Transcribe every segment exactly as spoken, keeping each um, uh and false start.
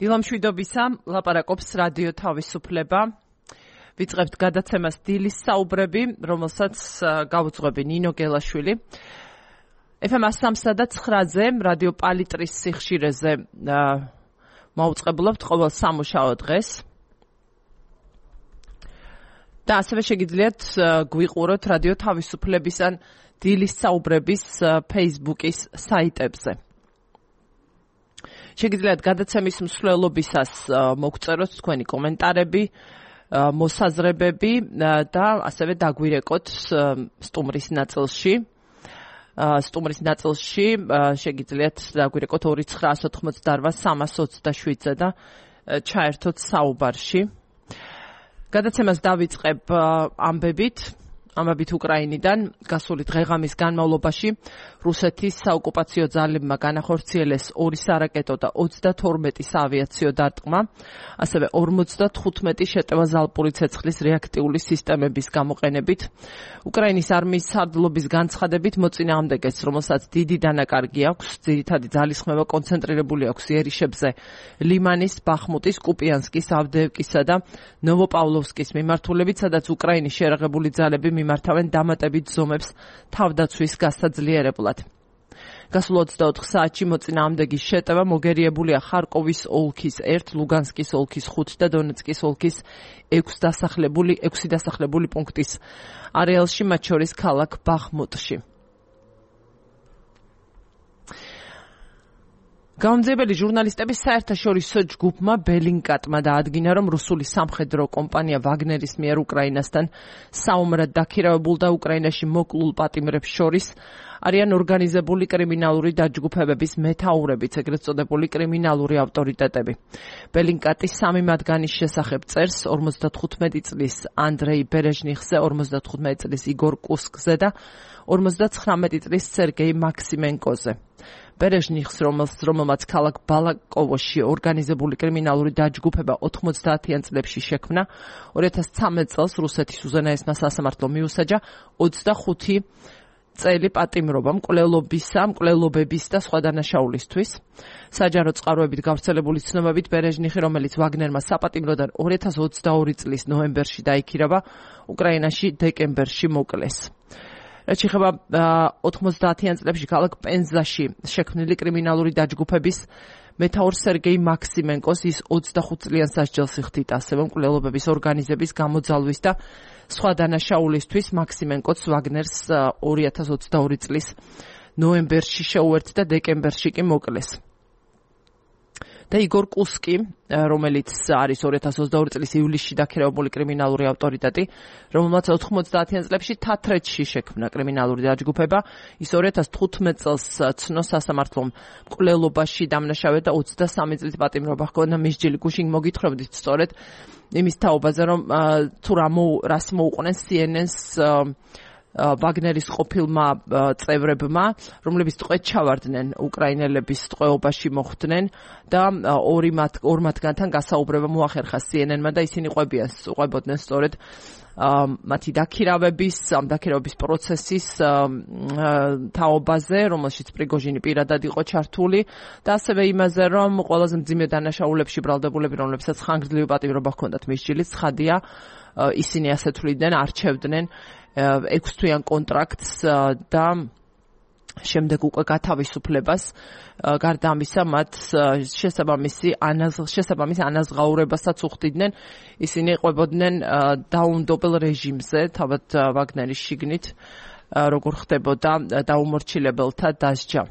დილამშვიდობისა, ლაპარაკობს რადიო თავისუფლება. ვიწყებთ გადაცემას დილის საუბრები, რომელსაც გავუძღვები ნინო გელაშვილი. ეფ ემ სამსა და ცხრაზე რადიო პალიტრის სიხშირეზე მოვუწყებულებთ ყოველ სამუშაო დღეს. და ასევე შეგიძლიათ გვიყუროთ რადიო თავისუფლების ან დილის საუბრების Facebook-ის საიტებზე. შეგიძლიათ გადაცემის მსვლელობისას მოგწეროთ თქვენი კომენტარები, მოსაზრებები და ასევე დაგვირეკოთ სტუმრის ნაწილში. სტუმრის ნაწილში შეგიძლიათ დაგვირეკოთ ორი ცხრაას ოთხმოცდაორვა სამას ოცდაშვიდზე და ჩაერთოთ საუბარში. გადაცემას დავიწყებ ამბებით. ამბებით უკრაინიდან გასული დღეღამის განმავლობაში რუსეთის საოკუპაციო ძალებმა განახორციელეს ორი სარაკეტო და ოცდათორმეტი საავიაციო დარტყმა, ასევე ორმოცდათხუთმეტი შეტევა ზალპური ცეცხლის რეაქტიული სისტემების გამოყენებით. უკრაინის არმიის სარდლობის განცხადებით მოწინააღმდეგეს, რომელსაც დიდი დანაკარგი აქვს, ძირითადი ძალისხმევა კონცენტრირებული აქვს იერიშებზე, ლიმანის, ბახმუტის, კუპიანსკის, ავდეევკისა და ნოვოპავლოვსკის მიმართულებით, სადაც უკრაინის შერაღებული ძალები მიმართავენ დამატებით ზომებს თავდაცვის გასაძლიერებლად. გასულ ოცდაოთხ საათში მოწინააღმდეგის შეტევა მოგერიებულია ხარკოვის ოლქის ერთ, ლუგანსკის ოლქის ხუთ და დონეცკის ოლქის ექვს დასახლებული ექვსი დასახლებული პუნქტის არეალში, მათ შორის ქალაქ ბახმუტში. გამომძიებელი ჟურნალისტების საერთაშორისო ჯგუფმა ბელინკატმა დაადგინა, რომ რუსული სამხედრო კომპანია ვაგნერის მიერ უკრაინასთან საომრად დაქირავებულ და უკრაინაში მოკლულ პატიმრებს შორის არიან ორგანიზებული კრიმინალური დაჯგუფებების მეთაურებიც, ეგრეთ წოდებული კრიმინალური ავტორიტეტები. ბელინკატის სამი მათგანის შესახებ წერს ორმოცდათხუთმეტი წლის ანდრეი ბერეჟნიხზე, ორმოცდათხუთმეტი წლის იგორ კუსკზე და ორმოცდაცხრამეტი წლის სერგეი მაქსიმენკოზე. ბერეჟნიხს, რომელმაც ქალაქ ბალაკოვოში ორგანიზებული კრიმინალური დაჯგუფება ოთხმოცდაათიან წლებში შექმნა, ორი ათას ცხრამეტ წელს რუსეთის უზენაესმა სასამართლომ მიუსაჯა ოცდახუთი წელი პატიმრობა მკვლელობისა, მკვლელობების და სხვა დანაშაულისთვის. საჯარო წყაროებით გავრცელებული ცნობებით ბერეჟნიხი, რომელიც ვაგნერმა საპატიმროდან ორი ათას ოცდაორი წლის ნოემბერში დაიქირავა, უკრაინაში დეკემბერში მოკლეს. რაც შეეხება ოთხმოცდაათიან წლებში ქალაქ პენზაში შექმნილი კრიმინალური დაჯგუფების მეთაურ სერგეი მაქსიმენკოს, ის ოცდახუთ წლიან სასჯელს იხდიდა ასევე მკვლელობების ორგანიზების გამოძალვის და სხვა დანაშაულისთვის. მაქსიმენკოც ვაგნერს ორი ათას ოცდაორი წლის ნოემბერში შეუერთდა და დეკემბერში კი მოკლეს. და იგორ კუსკი, რომელიც არის ორი ათას ოცდაორი წლის ივლისში დაქირავებული კრიმინალური ავტორიტეტი, რომელმაც ოთხმოცდაათიან წლებში თათრეთში შექმნა კრიმინალური დაჯგუფება, ის ორი ათას თხუთმეტ წელს ცნო სასამართლომ მკვლელობაში დამნაშავედ და ოცდასამი წლის პატიმრობა ჰქონდა მისჯილი. გუშინ მოგითხრობდით სწორედ იმის თაობაზე, რომ თუ რას მოუყვნენ სი ენ ენს ვაგნერის ყოფილმა წევრებმა, რომლებიც ტყვედ ჩავარდნენ უკრაინელების ტყვეობაში მოხვდნენ და ორი მათ ორ მათგანთან გასაუბრება მოახერხა სი ენ ენმა და ისინი ყვებიან, ყვებოდნენ სწორედ მათი დაქირავების, ამ დაქირავების პროცესის თაობაზე, რომელშიც პრიგოჟინი პირადად იყო ჩართული და ასევე იმაზე, რომ ყველაზე მძიმე დანაშაულებში ბრალდებულები, რომლებსაც ხანგრძლივი პატიმრობა ჰქონდათ მისჯილი, ცხადია, ისინი ასე თვლიდნენ, არჩევდნენ ექვსთვიან კონტრაქტს და შემდეგ უკვე გათავისუფლებას. გარდა ამისა, მათ შესაბამისი შესაბამისი ანაზღაურებასაც უხდიდნენ. ისინი ყვებოდნენ დაუნდობელ რეჟიმზე, თავად ვაგნერის შიგნით, როგორ ხდებოდა დაუმორჩილებელთა დასჯა.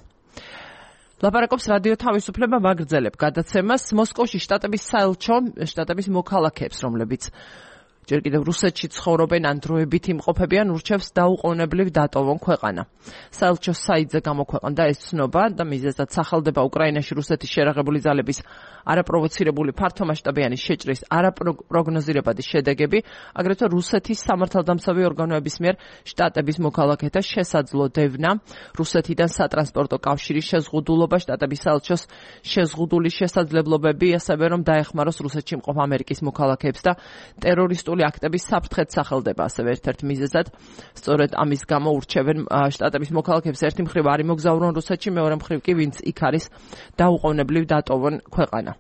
ლაპარაკობს რადიო თავისუფლება, ვაგრძელებ გადაცემას. მოსკოვში შტატების საელჩო, შტატების მოქალაქეებს, რომლებიც ჯერ კიდევ რუსეთში ცხოვრობენ ან დროებით იმყოფებიან, ურჩევს დაუყოვნებლივ დატოვონ ქვეყანა. საელჩოს საიტზე გამოქვეყნდა ეს ცნობა და მიზეზად სახელდება უკრაინაში რუსეთის შერაღებული ძალების არაპროვოცირებული ფართომასშტაბიანი შეჭრის არაპროგნოზირებადი შედეგები, აგრეთვე რუსეთის სამართალდამცავი ორგანოების მიერ შტატების მოქალაქეთა შესაძლო დევნა, რუსეთიდან სატრანსპორტო კავშირის შეზღუდულობა, შტატების საელჩოს შეზღუდული შესაძლებლობები, ასევე რომ დაეხმაროს რუსეთში მყოფ ამერიკის მოქალაქეებს და ტერორისტული აქტების საფრთხეც სახელდება ასევე ერთ-ერთ მიზეზად. სწორედ ამის გამო ურჩევენ შტატების მოქალაქეებს ერთი მხრივ არ იმოგზაურონ რუსეთში, მეორე მხრივ კი ვინც იქ არის დაუყოვნებლივ დატოვონ ქვეყანა.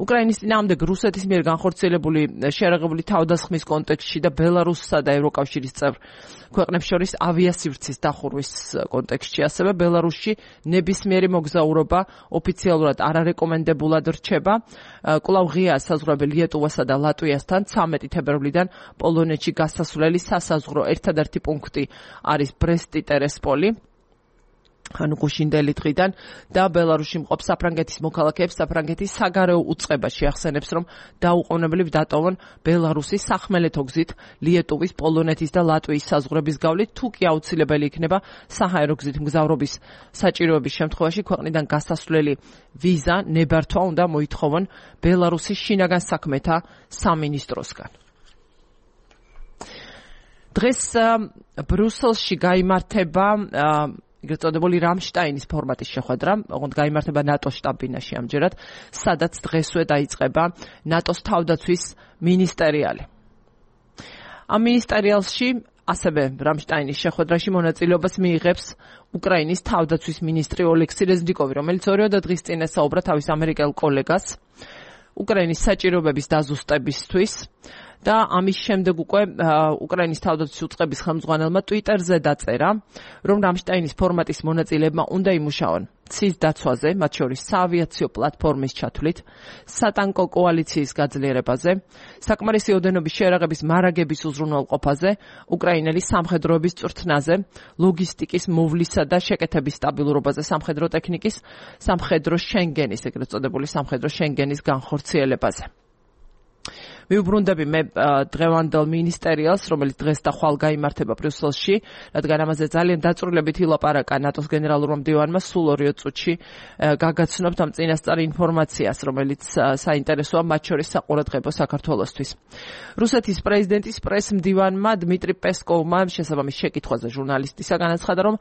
უკრაინის წინააღმდეგ რუსეთის მიერ განხორციელებული შერეღებული თავდასხმის კონტექსტში და ბელარუსსა და ევროკავშირის წევრ ქვეყნებს შორის ავიასივრცის დახურვის კონტექსტში, ასევე ბელარუსში ნებისმიერი მოგზაურობა ოფიციალურად არარეკომენდებულად რჩება. კვლავ ღია საზღვრები ლიეტუვასა და ლატვიასთან ცამეტი თებერვლიდან პოლონეთში გასასვლელი სასაზღვრო ერთადერთი პუნქტი არის ბრესტი-ტერესპოლი. ანუ გუშინდელი დღიდან და ბელარუსში მყოფ საფრანგეთის მოქალაქეებს საფრანგეთის საგარეო უწყება შეახსენებს, რომ დაუყოვნებლივ დატოვონ ბელარუსის სახმელეთო გზით ლიეტუვის, პოლონეთის და ლატვიის საზღვრების გავლით, თუ კი აუცილებელი იქნება საჰაერო გზით მგზავრობის საჭიროების შემთხვევაში ქვეყნიდან გასასვლელი ვიზა ნებართვა უნდა მოითხოვონ ბელარუსის შინაგან საქმეთა სამინისტროსგან. დღეს ბრიუსელში გაიმართება ეგრეთ წოდებული რამშტაინის ფორმატის შეხვედრა, ოღონდ გაიმართება ნატოს შტაბ-ბინაში ამჯერად, სადაც დღესვე დაიწყება ნატოს თავდაცვის მინისტერიალი. ამ მინისტერიალში ასევე რამშტაინის შეხვედრაში მონაწილეობას მიიღებს უკრაინის თავდაცვის მინისტრი ოლექსი რეზნიკოვი, რომელიც ორიოდე დღის წინ ესაუბრა თავის ამერიკელ კოლეგას უკრაინის საჭიროებების დაზუსტებისთვის და ამის შემდეგ უკვე უკრაინის თავდაცვის უწყების ხელმძღვანელმა ტვიტერზე დაწერა, რომ რამშტაინის ფორმატის მონაწილეებმა უნდა იმუშაონ ცის დაცვაზე, მათ შორის საავიაციო პლატფორმის ჩათვლით, სატანკო კოალიციის გაძლიერებაზე, საკმარისი ოდენობის შერაღების მარაგების უზრუნველყოფაზე, უკრაინელი სამხედროების წვრთნაზე, ლოგისტიკის მოვლისა და შეკეთების სტაბილურობაზე, სამხედრო ტექნიკის, სამხედრო შენგენის, ეგრეთ წოდებული სამხედრო შენგენის განხორციელებაზე. Მიუბრუნდები მე დღევანდელ მინისტერიალს, რომელიც დღეს და ხვალ გაიმართება ბრიუსელში, რადგან ამაზე ძალიან დაწვრილებით ილაპარაკა ნატოს გენერალურმა მდივანმა სულ ორიო წუთში გაგაცნობთ ამ წინასწარ ინფორმაციას, რომელიც საინტერესოა მათ შორის საყურადღებო საქართველოსთვის. რუსეთის პრეზიდენტის პრეს-მდივანმა დმიტრი პესკოვმა შესაბამის შეკითხვაზე ჟურნალისტისა განაცხადა, რომ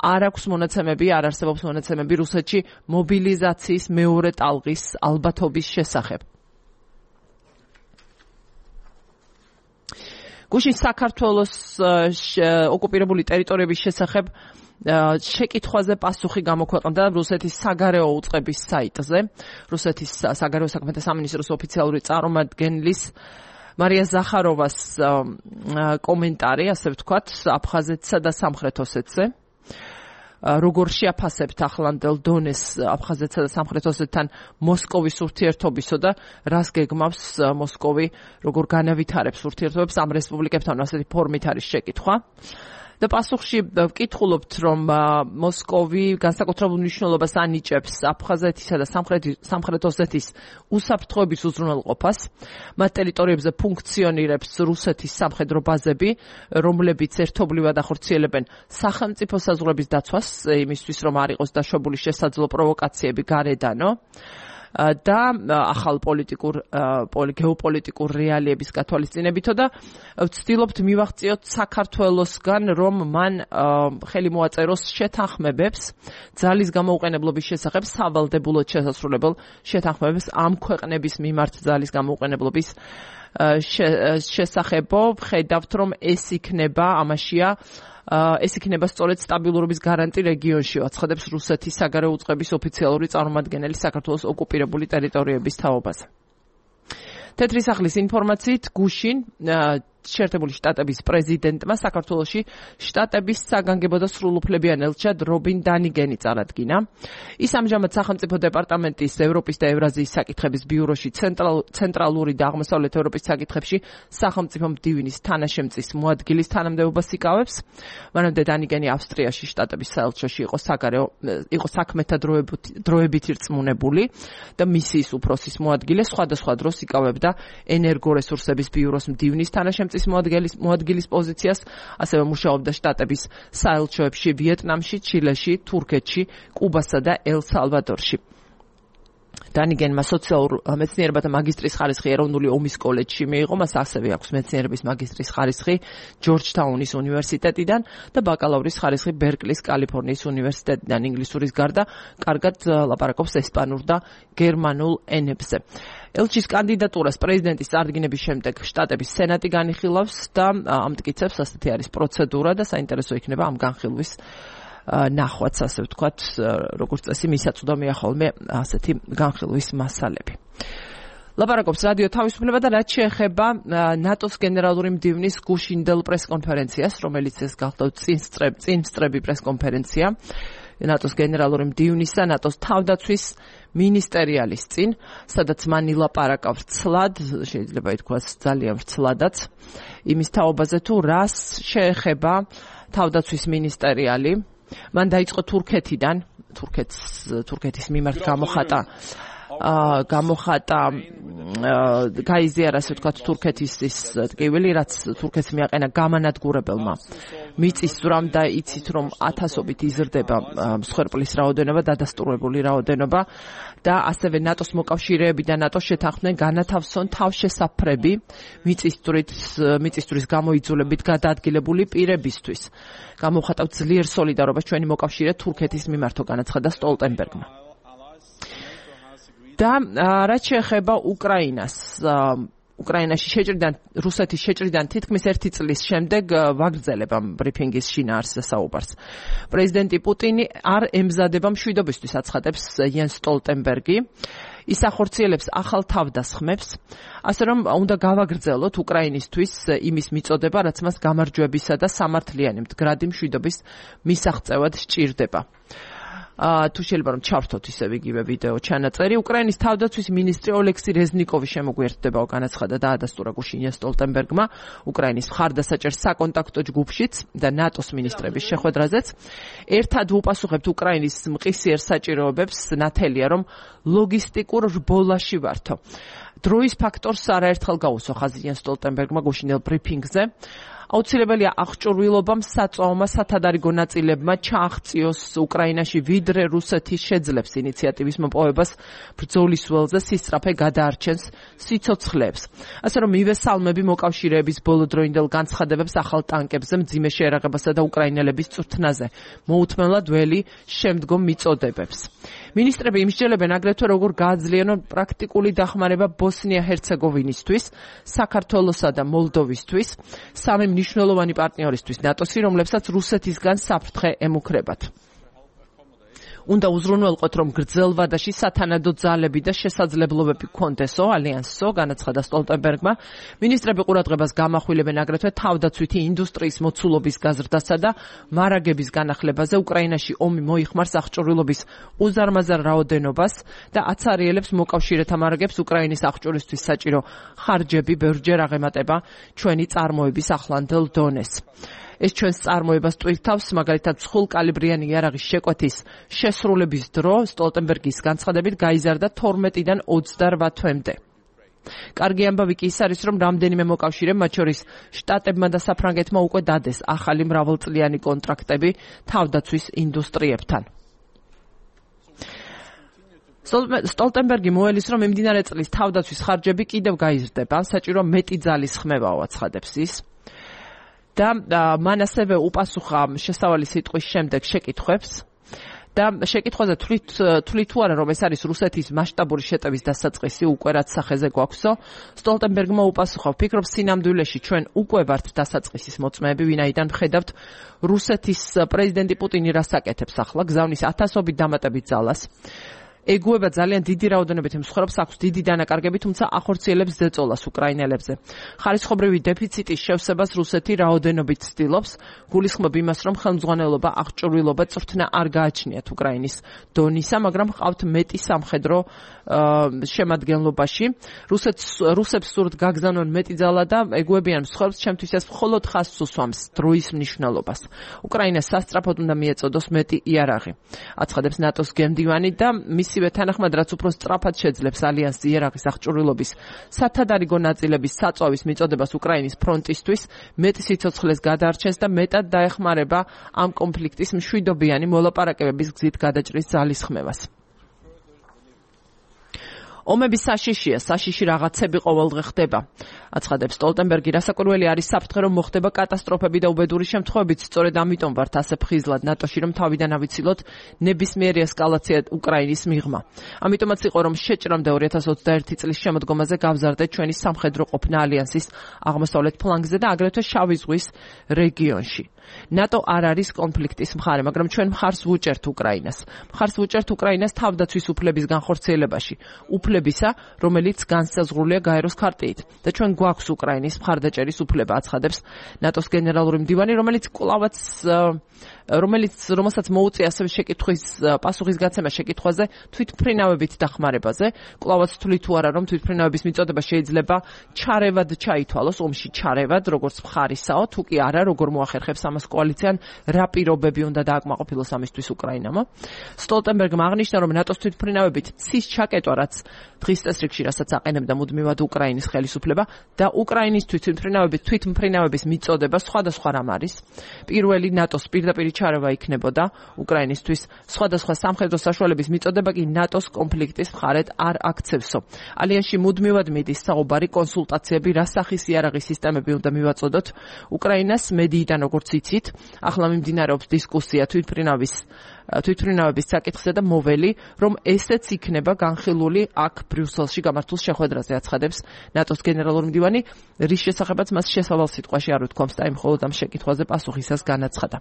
არ აქვს მონაცემები, არ არსებობს მონაცემები რუსეთში მობილიზაციის მეორე ტალღის ალბათობის შესახებ. გუშინ საქართველოს ოკუპირებული ტერიტორიების შესახებ შეკითხვაზე პასუხი გამოქვეყნდა რუსეთის საგარეო უწყების საიტზე. რუსეთის საგარეო საქმეთა სამინისტროს ოფიციალური წარმომადგენლის მარია ზახაროვას კომენტარი, ასე ვთქვათ, აფხაზეთსა და სამხრეთ ოსეთზე. როგორ შეაფასებთ ახლანდელ დონეს აფხაზეთსა და სამხრეთ ოსეთთან მოსკოვის ურთიერთობისო და რას გეგმავს მოსკოვი, როგორ განავითარებს ურთიერთობებს ამ რესპუბლიკებთან, ასეთი ფორმით არის შეკითხვა. და პასუხში ვკითხულობთ, რომ მოსკოვი განსაკუთრებულ მნიშვნელობას ანიჭებს აფხაზეთისა და სამხრეთ ოსეთის უსაფრთხოების უზრუნველყოფას. მათ ტერიტორიებზე ფუნქციონირებს რუსეთის სამხედრო ბაზები, რომლებიც ერთობლივად ახორციელებენ სახელმწიფო საზღვრების დაცვას, იმისთვის რომ არ იყოს დაშვებული შესაძლო პროვოკაციები გარედანო. და ახალ პოლიტიკურ გეოპოლიტიკურ რეალიების გათვალისწინებითო და ვცდილობთ მივაღწიოთ საქართველოსგან, რომ მან ხელი მოაწეროს შეთანხმებებს ძალის გამოუყენებლობის შესახებ, სავალდებულოდ შესასრულებელ შეთანხმებებს ამ ქვეყნების მიმართ ძალის გამოუყენებლობის შესახებო. ხედავთ, რომ ეს იქნება ამაშია ეს იქნება სწორედ სტაბილურობის გარანტი რეგიონში, აცხადებს რუსეთის საგარეო უწყების ოფიციალური წარმომადგენელი საქართველოს ოკუპირებული ტერიტორიების თაობაზე. თეთრი სახლის ინფორმაციით გუშინ შეერთებული შტატების პრეზიდენტმა საქართველოში შტატების საგანგებო და სრულუფლებიან ელჩად რობინ დანიგენი წარადგინა. ის ამჟამად სახელმწიფო დეპარტამენტის ევროპის და ევრაზიის საკითხების ბიუროში ცენტრალური და აღმოსავლეთ ევროპის საკითხებში სახელმწიფო მდივნის თანაშემწის მოადგილის თანამდებობას იკავებს. მანამდე დანიგენი ავსტრიაში შტატების საელჩოში იყო საგარეო იყო საქმეთა დროებით ირწმუნებული და მისიის უფროსის მოადგილე, სხვადასხვა დროს იკავებდა ენერგორესურსების ბიუროს მდივნის თანაშემწის მოადგილის მოადგილის პოზიციას, ასევე მუშაობდა შტატების საელჩოებში ვიეტნამში, ჩილეში, თურქეთში, კუბასა და ელ-სალვადორში. დანიგენმა სოციალურ მეცნიერებათა მაგისტრის ხარისხი ეროვნული ომის კოლეჯში მიიღო, მას ასევე აქვს მეცნიერების მაგისტრის ხარისხი ჯორჯთაუნის უნივერსიტეტიდან და ბაკალავრის ხარისხი ბერკლის კალიფორნიის უნივერსიტეტიდან. ინგლისურის გარდა კარგად ლაპარაკობს ესპანურ და გერმანულ ენებზე. ელჩის კანდიდატურას პრეზიდენტის წარდგინების შემდეგ შტატების სენატი განიხილავს და ამტკიცებს, ასეთი არის პროცედურა და საინტერესო იქნება ამ განხილვის ნახვაც, ასე ვთქვათ, როგორც წესი, მისაც უნდა მიახოლმე ასეთი განხილვის მასალები. ლაპარაკობს რადიო თავისუფლება და რაც შეეხება ნატოს გენერალური მდივნის გუშინდელ პრესკონფერენციას, რომელიც ეს გახლავთ წინსწრები პრესკონფერენცია ნატოს გენერალური მდივნის და ნატოს თავდაცვის მინისტერიალის წინ, სადაც მან ილაპარაკა ვრცლად, შეიძლება ითქვას ძალიან ვრცლადაც, იმის თაობაზე თუ რას შეეხება თავდაცვის მინისტერიალი. მან დაიწყო თურქეთიდან, თურქეთს თურქეთის მიმართ გამოხატა გამოხატა გაიზიარა ასე ვთქვათ თურქეთის ის ტკივილი, რაც თურქეთს მიაყენა გამანადგურებელმა მიწისძვრამ და იცით რომ ათასობით იზრდება მსხვერპლის რაოდენობა, დადასტურებული რაოდენობა და ასევე ნატოს მოკავშირეები და ნატოს შეთანხმდნენ განათავსონ თავშესაფრები მიწისძვრით მიწისძვრის გამოიძულებით გადაადგილებული პირებისთვის. გამოვხატავთ ძლიერ სოლიდარობას ჩვენი მოკავშირე თურქეთის მიმართო, განაცხადა სტოლტენბერგმა. და რაც შეეხება უკრაინას, უკრაინაში შეჭრიდან, რუსეთის შეჭრიდან თითქმის ერთი წლის შემდეგ ვაგრძელება ბრიფინგის შინაარსზე საუბარს. პრეზიდენტი პუტინი არ ემზადება მშვიდობისთვის, აცხადებს იენს სტოლტენბერგი. ის ახორციელებს ახალ თავდასხმებს, ასე რომ უნდა გავაგრძელოთ უკრაინისთვის იმის მიწოდება, რაც მას გამარჯვებისა და სამართლიანი მდგრადი მშვიდობის მისაღწევად სჭირდება. თუ შეიძლება რომ ჩავთოთ ისევ იგივე ვიდეო ჩანაწერი. უკრაინის თავდაცვის მინისტრი ოლექსი რეზნიკოვი შემოგვიერთდება განაცხადა და ადასტურა გუშინ სტოლტენბერგმა უკრაინის მხარდასაჭერ საკონტაქტო ჯგუფშიც და ნატოს მინისტრების შეხვედრაზეც. ერთად უპასუხებთ უკრაინის მყისიერ საჭიროებებს, ნათელია რომ ლოგისტიკურ რბოლაში ვართო. დროის ფაქტორს არაერთხელ გაუსვა ხაზი სტოლტენბერგმა გუშინდელ ბრიფინგზე. აუცილებელია აღჭურვილობამ საწვავმა სათადარიგო ნაწილებმა ჩააღწიოს უკრაინაში, ვიდრე რუსეთი შეძლებს ინიციატივის მოპოვებას ბრძოლის ველზე სისწრაფე გადაარჩენს სიცოცხლეებს. ასე რომ მივესალმები მოკავშირეების ბოლოდროინდელ განცხადებებს ახალ ტანკებზე, მძიმე შეერაღებასა და უკრაინელების წვრთნაზე, მოუთმენლად ველი შემდგომ მიწოდებებს. მინისტრები იმსჯელებენ აგრეთვე როგორ გააძლიერონ პრაქტიკული დახმარება ბოსნია-ჰერცეგოვინისთვის, საქართველოსა და მოლდოვისთვის, სამი მნიშვნელოვანი პარტნიორისთვის ნატოსი, რომლებსაც რუსეთისგან საფრთხე ემუქრებათ. უნდა უზრუნველყოთ, რომ გრძელ ვადაში სათანადო ძალები და შესაძლებლობები გქონდესო ალიანსო, განაცხადა სტოლტენბერგმა. მინისტრები ყურადღებას გამახვილებენ აგრეთვე თავდაცვითი ინდუსტრიის მოცულობის გაზრდასა და მარაგების განახლებაზე. უკრაინაში ომი მოიხმარს აღჭურვილობის უზარმაზარ რაოდენობას და აცარიელებს მოკავშირეთა მარაგებს უკრაინის აღჭურვისთვის საჭირო ხარჯები ბევრჯერ აღემატება ჩვენი წარმოების ახლანდელ დონეს. ეს ჩვენს წარმოებას ტვირთავს, მაგალითად ცხულკალიბრიანი იარაღის შეკვეთის შესრულების დრო სტოლტენბერგის განცხადებით გაიზარდა თორმეტიდან ოცდარვათ თვემდე. კარგი ამბავი კი ის არის, რომ რამდენიმე მოკავშირემ, მათ შორის შტატებმა და საფრანგეთმა უკვე დადეს ახალი მრავალწლიანი კონტრაქტები თავდაცვის ინდუსტრიებთან. სტოლტენბერგი მოელის, რომ მიმდინარე წლის თავდაცვის ხარჯები კიდევ გაიზრდება, საჭირო მეტი ძალის ხმევაო, აცხადებს ის. და მან ასევე უპასუხა შესავალი სიტყვის შემდეგ შეკითხვებს და შეკითხვაზე თვლით თუ არა რომ ეს არის რუსეთის მასშტაბური შეტევის დასაწყისი, უკვე რაც სახეზე გვაქვსო. სტოლტენბერგმა უპასუხა, ვფიქრობ სინამდვილეში ჩვენ უკვე ვართ დასაწყისის მოწმეები, ვინაიდან ვხედავთ რუსეთის პრეზიდენტი პუტინი რას აკეთებს ახლა, გზავნის ათასობით დამატებით ძალას. ეგუება ძალიან დიდი რაოდენობით მსხვერპლს, აქვს დიდი დანაკარგები, თუმცა ახორციელებს ზეწოლას უკრაინელებზე. ხარისხობრივი დეფიციტის შევსებას რუსეთი რაოდენობით ცდილობს, გულისხმობ იმას, რომ ხელმძღვანელობა, აღჭურვილობა, წვრთნა არ გააჩნიათ უკრაინის დონისა, მაგრამ ჰყავთ მეტი სამხედრო შემადგენლობაში. რუსებს სურთ გაგზავნონ მეტი ძალა და ეგუებიან მსხვერპლს, ჩემთვის ეს მხოლოდ ხაზს უსვამს დროის მნიშვნელობას. უკრაინას სასწრაფოდ უნდა მიეწოდოს მეტი იარაღი, აცხადებს ნატოს გენდივანი და მისივე თანახმად, რაც უფრო სწრაფად შეძლებს ალიანსს იარაღის აღჭურვილობის სათადარიგო ნაწილების საწვავის მიწოდებას უკრაინის ფრონტისთვის, მეტი სიცოცხლეს გადაარჩენს და მეტად დაეხმარება ამ კონფლიქტის მშვიდობიანი მოლაპარაკებების გზით გადაჭრის ძალისხმევას. ომების საშიშია, საშიში რაღაცები ყოველდღე ხდება. აცხადებს სტოლტენბერგი. რასაკვირველი არის საფრთხე, რომ მოხდება კატასტროფები და უბედური შემთხვევებიც. სწორედ ამიტომ ვართ ასე ფხიზლად ნატოში, რომ თავიდან ავიცილოთ ნებისმიერი ესკალაცია უკრაინის მიღმა. ამიტომაც იყო, რომ შეჭრამდე ორი ათას ოცდაერთი წლის შემოდგომაზე გავზარდეთ ჩვენი სამხედრო ყოფნა ალიანსის აღმოსავლეთ ფლანგზე და აგრეთვე შავი ზღვის რეგიონში. ნატო არ არის კონფლიქტის მხარე, მაგრამ ჩვენ მხარს ვუჭერთ უკრაინას. მხარს ვუჭერთ უკრაინას თავდაცვის უფლების განხორციელებაში, უფლებისა, რომელიც განსაზღვრულია გაეროს ქარტიით და ჩვენ გვაქვს უკრაინის მხარდაჭერის უფლება, აცხადებს ნატოს გენერალური მდივანი, რომელიც კვლავაც რომელიც რომელსაც მოუწია ასევე შეკითხვის პასუხის გაცემა შეკითხვაზე თვითმფრინავებით დახმარებაზე. კვლავაც თვლით თუ არა, რომ თვითმფრინავების მიწოდება შეიძლება ჩარევად ჩაითვალოს, ომში ჩარევად, როგორც მხარისაო, თუ კი არა, როგორ მოახერხებს ამას კოალიციამ, რა პირობები უნდა დააკმაყოფილოს ამისთვის უკრაინამ. სტოლტენბერგმა აღნიშნა, რომ ნატოს თვითმფრინავებით ცის ჩაკეტვა, რაც დღის წესრიგში, რასაც აყენებდა მუდმივად უკრაინის ხელისუფლება და უკრაინისთვის თვითმფრინავების თვითმფრინავების მიწოდება სხვადასხვა რამ არის. პირველი ნატოს პირდაპირ ჩარევა იქნებოდა უკრაინისთვის, სხვადასხვა სამხედრო საშუალების მიწოდება კი ნატოს კონფლიქტის მხარედ არ აქცევსო. ალიანსში მუდმივად მიდის საუბარი, კონსულტაციები, რა სახის იარაღის სისტემები უნდა მივაწოდოთ. უკრაინას მედიიდან, როგორც იცით, ახლა მიმდინარეობს დისკუსია თვითმფრინავის თვითმფრინავების საკითხზე და მოველი, რომ ესეც იქნება განხილული აქ ბრიუსელში გამართულ შეხვედრაზე, აცხადებს ნატოს გენერალური მდივანი, რის შესახებაც მას შესავალ სიტყვაში არ უთქვამს და იმ მხოლოდ ამ შეკითხვაზე პასუხისას განაცხადა.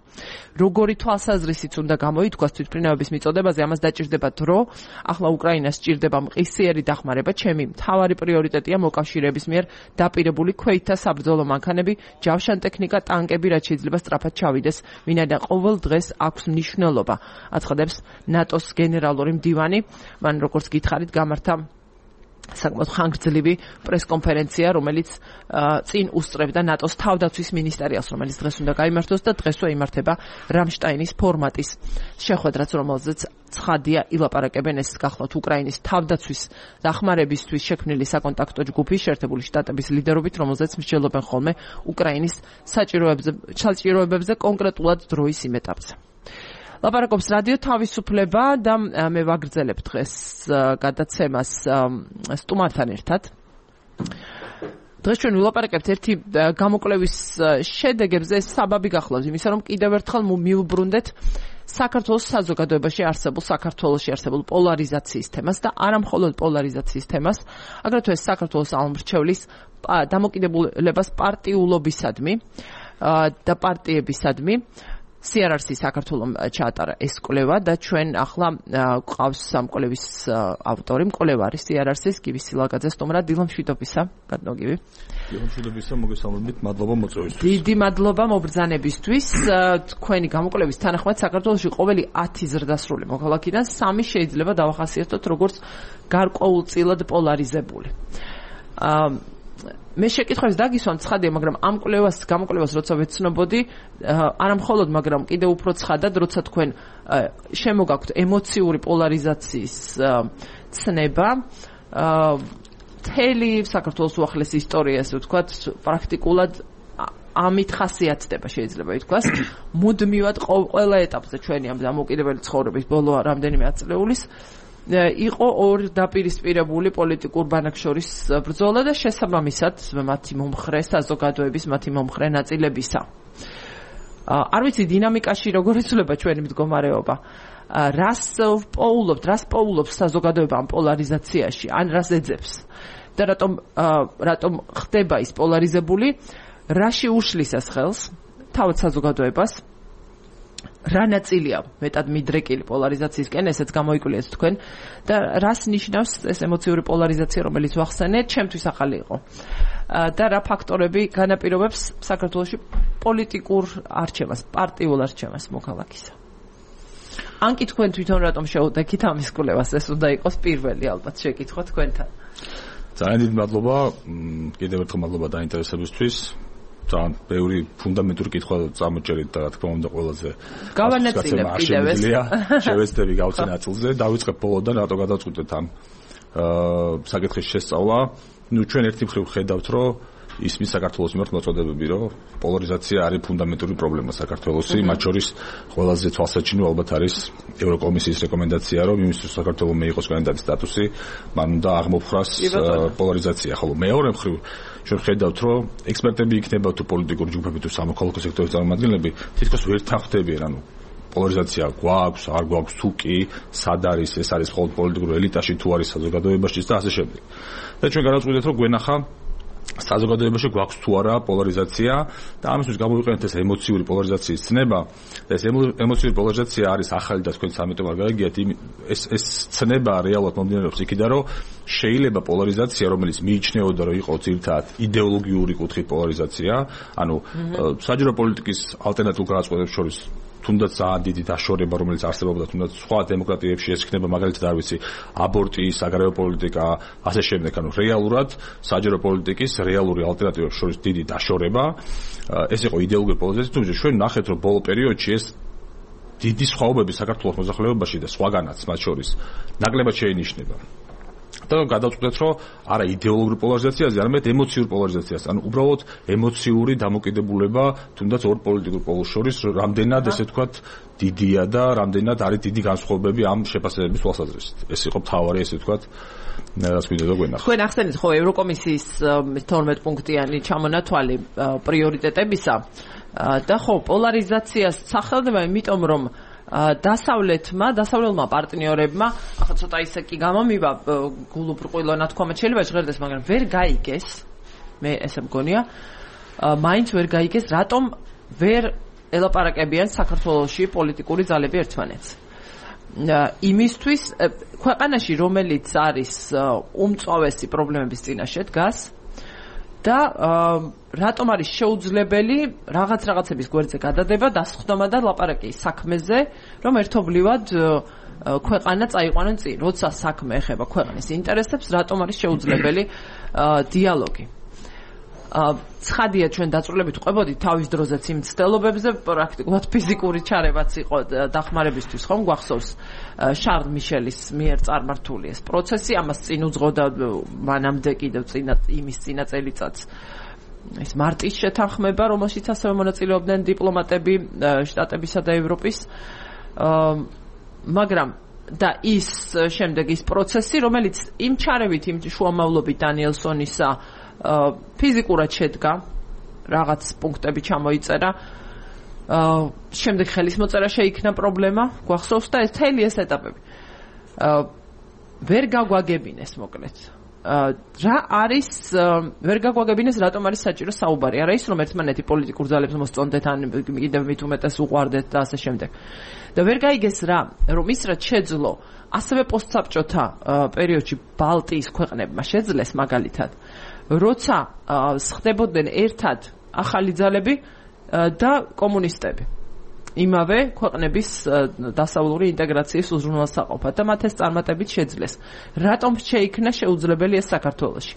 როგორი თვალსაზრისით უნდა გამოითქვას თვითმფრინავების მიწოდებაზე, ამას დაჭირდება დრო. ახლა უკრაინას სჭირდება მყისიერი დახმარება. ჩემი მთავარი პრიორიტეტია მოკავშირეების მიერ დაპირებული ქვეითთა საბრძოლო მანქანები, ჯავშან ტექნიკა, ტანკები, რაც შეიძლება სწრაფად ჩავიდეს, ვინაიდან ყოველ დღეს აქვს მნიშვნელობა, აცხადებს ნატოს გენერალური მდივანი. მან როგორც გითხარით, გამართა საკმაოდ ხანგრძლივი პრესკონფერენცია, რომელიც წინ უსწრებდა ნატოს თავდაცვის მინისტერიალს, რომელიც დღეს უნდა გაიმართოს და დღესვე იმართება რამშტაინის ფორმატის შეხვედრაც, რომელზეც ცხადია ილაპარაკებენ ეს გახლავთ უკრაინის თავდაცვის დახმარებისთვის შექმნილი საკონტაქტო ჯგუფი შეერთებული შტატების ლიდერობით, რომელზეც მსჯელობენ ხოლმე უკრაინის საჭიროებებზე კონკრეტულად დროის იმ ეტაპზე. ლაპარაკობს რადიო თავისუფლება და მე ვაგრძელებ დღეს გადაცემას სტუმართან ერთად. დღეს ჩვენ ვილაპარაკებთ ერთი გამოკვლევის შედეგებზე, საბაბი გახლავს იმისა, რომ კიდევ ერთხელ მივუბრუნდეთ საქართველოს საზოგადოებაში არსებულ საქართველოში არსებულ პოლარიზაციის თემას და არა მხოლოდ პოლარიზაციის თემას, აგრეთვე საქართველოს აღმრჩევლის დამოკიდებულებას პარტიულობისადმი და პარტიებისადმი. სი არ არ-ს საქართველოს ჩაატარა ეს კვლევა და ჩვენ ახლა გვყავს ამ კვლევის ავტორი, მკვლევარი სი არ არ-ის გივი სილაგაძე სტუმრად. დილა მშვიდობისა, ბატონო გივი. დილა მშვიდობისა, მოგესალმებით, მადლობა მოწვევისთვის. დიდი მადლობა მობრძანებისთვის. თქვენი გამოკვლევის თანახმად საქართველოში ყოველი ათი ზრდასრული მოქალაქიდან სამი შეიძლება დავახასიათოთ როგორც გარკვეულწილად პოლარიზებული. მე შეკითხვებს დაგისვამ ცხადია, მაგრამ ამ კვლევას, გამოკვლევას როცა ვეცნობოდი, არა მხოლოდ, მაგრამ კიდევ უფრო ცხადად, როცა თქვენ შემოგაქვთ ემოციური პოლარიზაციის ცნება, მთელი საქართველოს უახლეს ისტორია, ასე ვთქვათ, პრაქტიკულად ამით ხასიათდება, შეიძლება ითქვას, მუდმივად ყველა ეტაპზე ჩვენი ამ დამოუკიდებელი ცხოვრების ბოლო რამდენიმე ათწლეულის იყო ორ დაპირისპირებული პოლიტიკურ ბანაკს შორის ბრძოლა და შესაბამისად მათი მომხრე საზოგადოების მათი მომხრე ნაწილებისა. არ ვიცი დინამიკაში როგორ იცვლება ჩვენი მდგომარეობა. რას პოულობთ, რას პოულობს საზოგადოება ამ პოლარიზაციაში, ან რას ეძებს და რატომ რატომ ხდება ის პოლარიზებული, რაში უშლის ეს ხელს თავად საზოგადოებას, რა ნაწილია მეტად მიდრეკილი პოლარიზაციისკენ, ესეც გამოიკვლიეთ თქვენ და რას ნიშნავს ეს ემოციური პოლარიზაცია, რომელიც ვახსენეთ, ჩემთვის ახალი იყო და რა ფაქტორები განაპირობებს საქართველოში პოლიტიკურ არჩევას, პარტიულ არჩევას მოქალაქისა. ან კი თქვენ თვითონ რატომ შეუდექით ამის კვლევას, ეს უნდა იყოს პირველი ალბათ შეკითხვა თქვენთან. ძალიან დიდი მადლობა, კიდევ ერთხელ მადლობა დაინტერესებისთვის. ძალიან ბევრი ფუნდამენტური კითხვა წამოჭერით და რა თქმა უნდა ყველაზე გავანაწილებ კიდევ ეს შევეცდები გავცე ნაწილზე. დავიწყებ ბოლოდან, რატო გადავწყვიტეთ ამ საკითხის შესწავლა. ნუ ჩვენ ერთი მხრივ ხედავთ, რომ ისმის საქართველოს მიმართ მოწოდებები, რომ პოლარიზაცია არის ფუნდამენტური პრობლემა საქართველოში, მათ შორის ყველაზე თვალსაჩინო ალბათ არის ევროკომისიის რეკომენდაცია, რომ იმისთვის საქართველოს მიიღოს კანდიდატის სტატუსი, მან უნდა აღმოფხვრას პოლარიზაცია. ხოლო მეორე მხრივ ჩვენ ხედავთ, რომ ექსპერტები იქნება თუ პოლიტიკური ჯგუფები თუ სამოქალაქო სექტორის წარმომადგენლები თითქოს ვერ თანხმდებიან, ანუ პოლარიზაცია გვაქვს, არ გვაქვს თუ კი, სად არის, ეს არის მხოლოდ პოლიტიკურ ელიტაში თუ არის საზოგადოებაში და ასე შემდეგ. და ჩვენ გადავწყვიტეთ, რომ გვენახა საზოგადოებაში გვაქვს თუ არა პოლარიზაცია და ამისთვის გამოვიყენეთ ეს ემოციური პოლარიზაციის ცნება. ეს ემოციური პოლარიზაცია არის ახალი და თქვენ სამეთომ არ გაიგიათ, ეს ეს ცნება რეალურად მომდინარეობს იქიდან, რომ შეიძლება პოლარიზაცია, რომელიც მიიჩნეოდა, რომ იყო ძირითადად იდეოლოგიური კუთხით პოლარიზაცია, ანუ საჯარო პოლიტიკის ალტერნატიულ გადაწყვეტებს შორის თუნდაც ძალიან დიდი დაშორება, რომელიც არსებობდა თუნდაც სხვა დემოკრატიებში, ეს იქნება მაგალითად არ ვიცი, აბორტი, საგარეო პოლიტიკა, ასე შემდეგ, ანუ რეალურად საჯარო პოლიტიკის რეალური ალტერნატივებს შორის დიდი დაშორება. ეს იყო იდეოლოგიური პოლარიზაცია, თუმცა ჩვენ ნახეთ, რომ ბოლო პერიოდში ეს დიდი სხვაობები საქართველოს მოსახლეობაში და სხვაგანაც მათ შორის ნაკლებად შეინიშნება. და გადავწყვეტეთ, რომ არა იდეოლოგიური პოლარიზაციაზე, არამედ ემოციური პოლარიზაციაზე, ანუ უბრალოდ ემოციური დამოკიდებულება თუნდაც ორ პოლიტიკურ პოლოს შორის რამდენად ესე ვთქვათ დიდია და რამდენად არის დიდი განსხვავებები ამ შეფასებების თვალსაზრისით. ეს იყო მთავარი ესე ვთქვათ რაც მინდოდა გვენახა. თქვენ ახსენეთ ხო ევროკომისიის თორმეტ პუნქტიანი ჩამონათვალი პრიორიტეტებისა და ხო პოლარიზაციას სახელდება იმიტომ რომ დასავლეთმა, დასავლელმა პარტნიორებმა, ახლა ცოტა ისე კი გამომივა გულუბრყვილო ნათქვამად შეიძლება ჟღერდეს, მაგრამ ვერ გაიგეს, მე ესე მგონია, მაინც ვერ გაიგეს, რატომ ვერ ელაპარაკებიან საქართველოში პოლიტიკური ძალები ერთმანეთს. იმისთვის ქვეყანაში, რომელიც არის უმწვავესი პრობლემების წინაშე დგას და რატომ არის შეუძლებელი რაღაც რაღაცების გვერდზე გადადება, დასხდომა და ლაპარაკი საქმეზე, რომ ერთობლივად ქვეყანა წაიყვანონ წინ, როცა საქმე ეხება ქვეყნის ინტერესებს, რატომ არის შეუძლებელი დიალოგი. ცხადია ჩვენ დაწვრილებით ყვებოდით თავის დროზეც იმ ცდელობებზე, პრაქტიკულად ფიზიკური ჩარევაც იყო დახმარებისთვის, ხომ გვახსოვს შარლ მიშელის მიერ წარმართული ეს პროცესი, ამას წინ უძღოდა მანამდე კიდევ წინა იმის წინა წელიწადს ეს მარტის შეთანხმება, რომელშიც ასევე მონაწილეობდნენ დიპლომატები შტატებისა და ევროპის, მაგრამ და ის შემდეგ ის პროცესი, რომელიც იმ ჩარევით, იმ შუამავლობით დანიელსონისა ფიზიკურად შედგა, რაღაც პუნქტები ჩამოიწერა, შემდეგ ხელის მოწერა შეიქნა პრობლემა, გვახსოვს და ეს მთელი ეს ეტაპები. ვერ გაგვაგებინეს მოკლედ. რა არის ვერ გაგვაგებინეს, რატომ არის საჭირო საუბარი? არა ის, რომ ერთმანეთი პოლიტიკურ ძალებს მოსწონდეთ, ან კიდევ მით უმეტეს უყვარდეთ და ასე შემდეგ. და ვერ გაიგეს რა, რომ ის რაც შეძლო, ასევე პოსტსაბჭოთა პერიოდში ბალტიის ქვეყნებმა შეძლეს მაგალითად, როცა ხდებოდნენ ერთად ახალი ძალები და კომუნისტები იმავე ქვეყნების დასავლური ინტეგრაციის უზრუნველსაყოფად და მათ ეს წარმატებით შეძლეს. რატომ შეიქმნა შეუძლებელი ეს საქართველოში?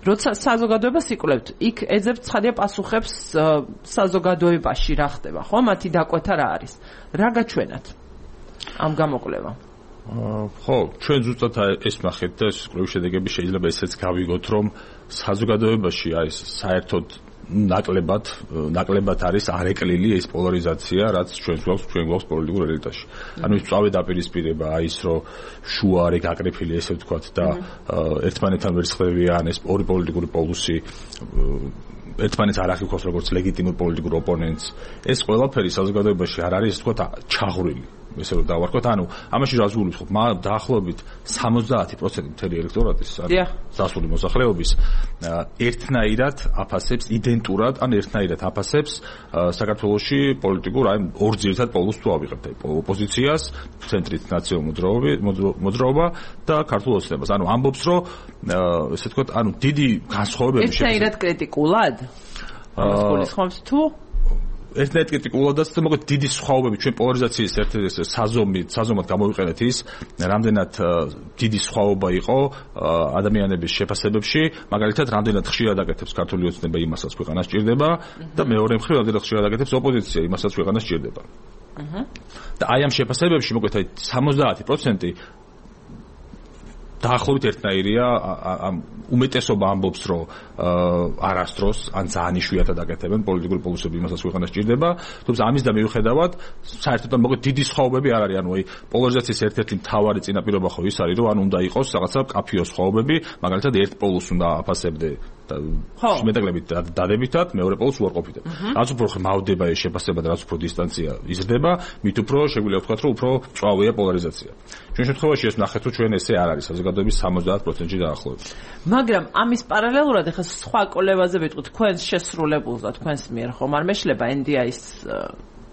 როცა საზოგადოებას იკვლევთ, იქ ეძებთ ცხადია პასუხებს საზოგადოებაში რა ხდება, ხო? მათი დაკვეთა რა არის? რა გაჩვენათ ამ გამოკვლევამ? ხო, ჩვენ ზუსტად ეს ნახეთ და ეს კვლევის შედეგები შეიძლება ესეც გავიგოთ, რომ საზოგადოებაში არის საერთოდ ნაკლებად, ნაკლებად არის არეკლილი ეს პოლარიზაცია, რაც ჩვენ გვაქვს, ჩვენ გვაქვს პოლიტიკურ ელიტაში. ანუ ის წავე დაპირისპირება, ის რომ შუა არის გაკრიფილი, ესე ვთქვათ, და ერთმანეთთან ვერ სხდევიან ეს ორი პოლიტიკური პოლუსი, ერთმანეთს არ აღიქვას როგორც ლეგიტიმურ პოლიტიკურ ოპონენტს. ეს ყველაფერი საზოგადოებაში არ არის, ესე ვთქვათ, ჩაღვრილი. ესე რომ დავარქოთ, ანუ ამაში რას გულისხმობ? ხომ დაახლოებით სამოცდაათი პროცენტი მთელი ელექტორატის, ანუ დასული მოსახლეობის ერთნაირად აფასებს, იდენტურად, ან ერთნაირად აფასებს საქართველოში პოლიტიკურ აი ორ ძირითად პოლუსს თუ ავიღებთ, აი ოპოზიციას, ცენტრით ნაციონალურ მოძრაობა და ქართულ ოცნებას. ანუ ამბობს, რომ ესე ვთქვათ, ანუ დიდი განსხვავებები შეგვიძლია. ერთნაირად კრიტიკულად? ამას გულისხმობს თუ ერთნაირად კრიტიკულადაც და მოკლედ დიდი სხვაობები ჩვენ პოლარიზაციის ერთ-ერთი საზომი, საზომად გამოვიყენეთ ის, რამდენად დიდი სხვაობა იყო ადამიანების შეფასებებში, მაგალითად, რამდენად ხშირად აკეთებს ქართული ოცნება იმასაც ქვეყანას ჭირდება და მეორე მხრივ რამდენად ხშირად აკეთებს ოპოზიცია იმასაც ქვეყანას ჭირდება. და აი ამ შეფასებებში მოკლედ აი სამოცდაათი პროცენტი დაახლოებით ერთნაირია, ამ უმეტესობა ამბობს, რომ არასდროს ან ძალიან იშვიათად აკეთებენ პოლიტიკური პოლუსები იმასაც ქვეყანა სჭირდება, თუმცა ამის და მიუხედავად საერთოდ მოგეთ დიდი სხვაობები არ არის, ანუ აი პოლარიზაციის ერთ-ერთი მთავარი წინაპირობა ხო ის არის, რომ ან უნდა იყოს რაღაცა კაფიო სხვაობები, მაგალითად ერთ პოლუსს უნდა აფასებდე შემეტეკლებით დადებითად, მეორე პოლუსს უარყოფითად. რაც უფრო ხმავდება ეს შეფასება და რაც უფრო დისტანცია იზრდება, მით უფრო შეგვიძლია ვთქვათ, რომ უფრო მწვავეა პოლარიზაცია. ჩვენ შემთხვევაში ეს ნახეთ, რომ ჩვენ ესე არ არის საზოგადოების სამოცდაათ პროცენტში დაახლოებით. მაგრამ ამის პარალელურად ახლა სხვა კოლევაზე ვიტყვით, თქვენს შესრულებულს და თქვენს მიერ ხომ არ მეშლება ენ დი აის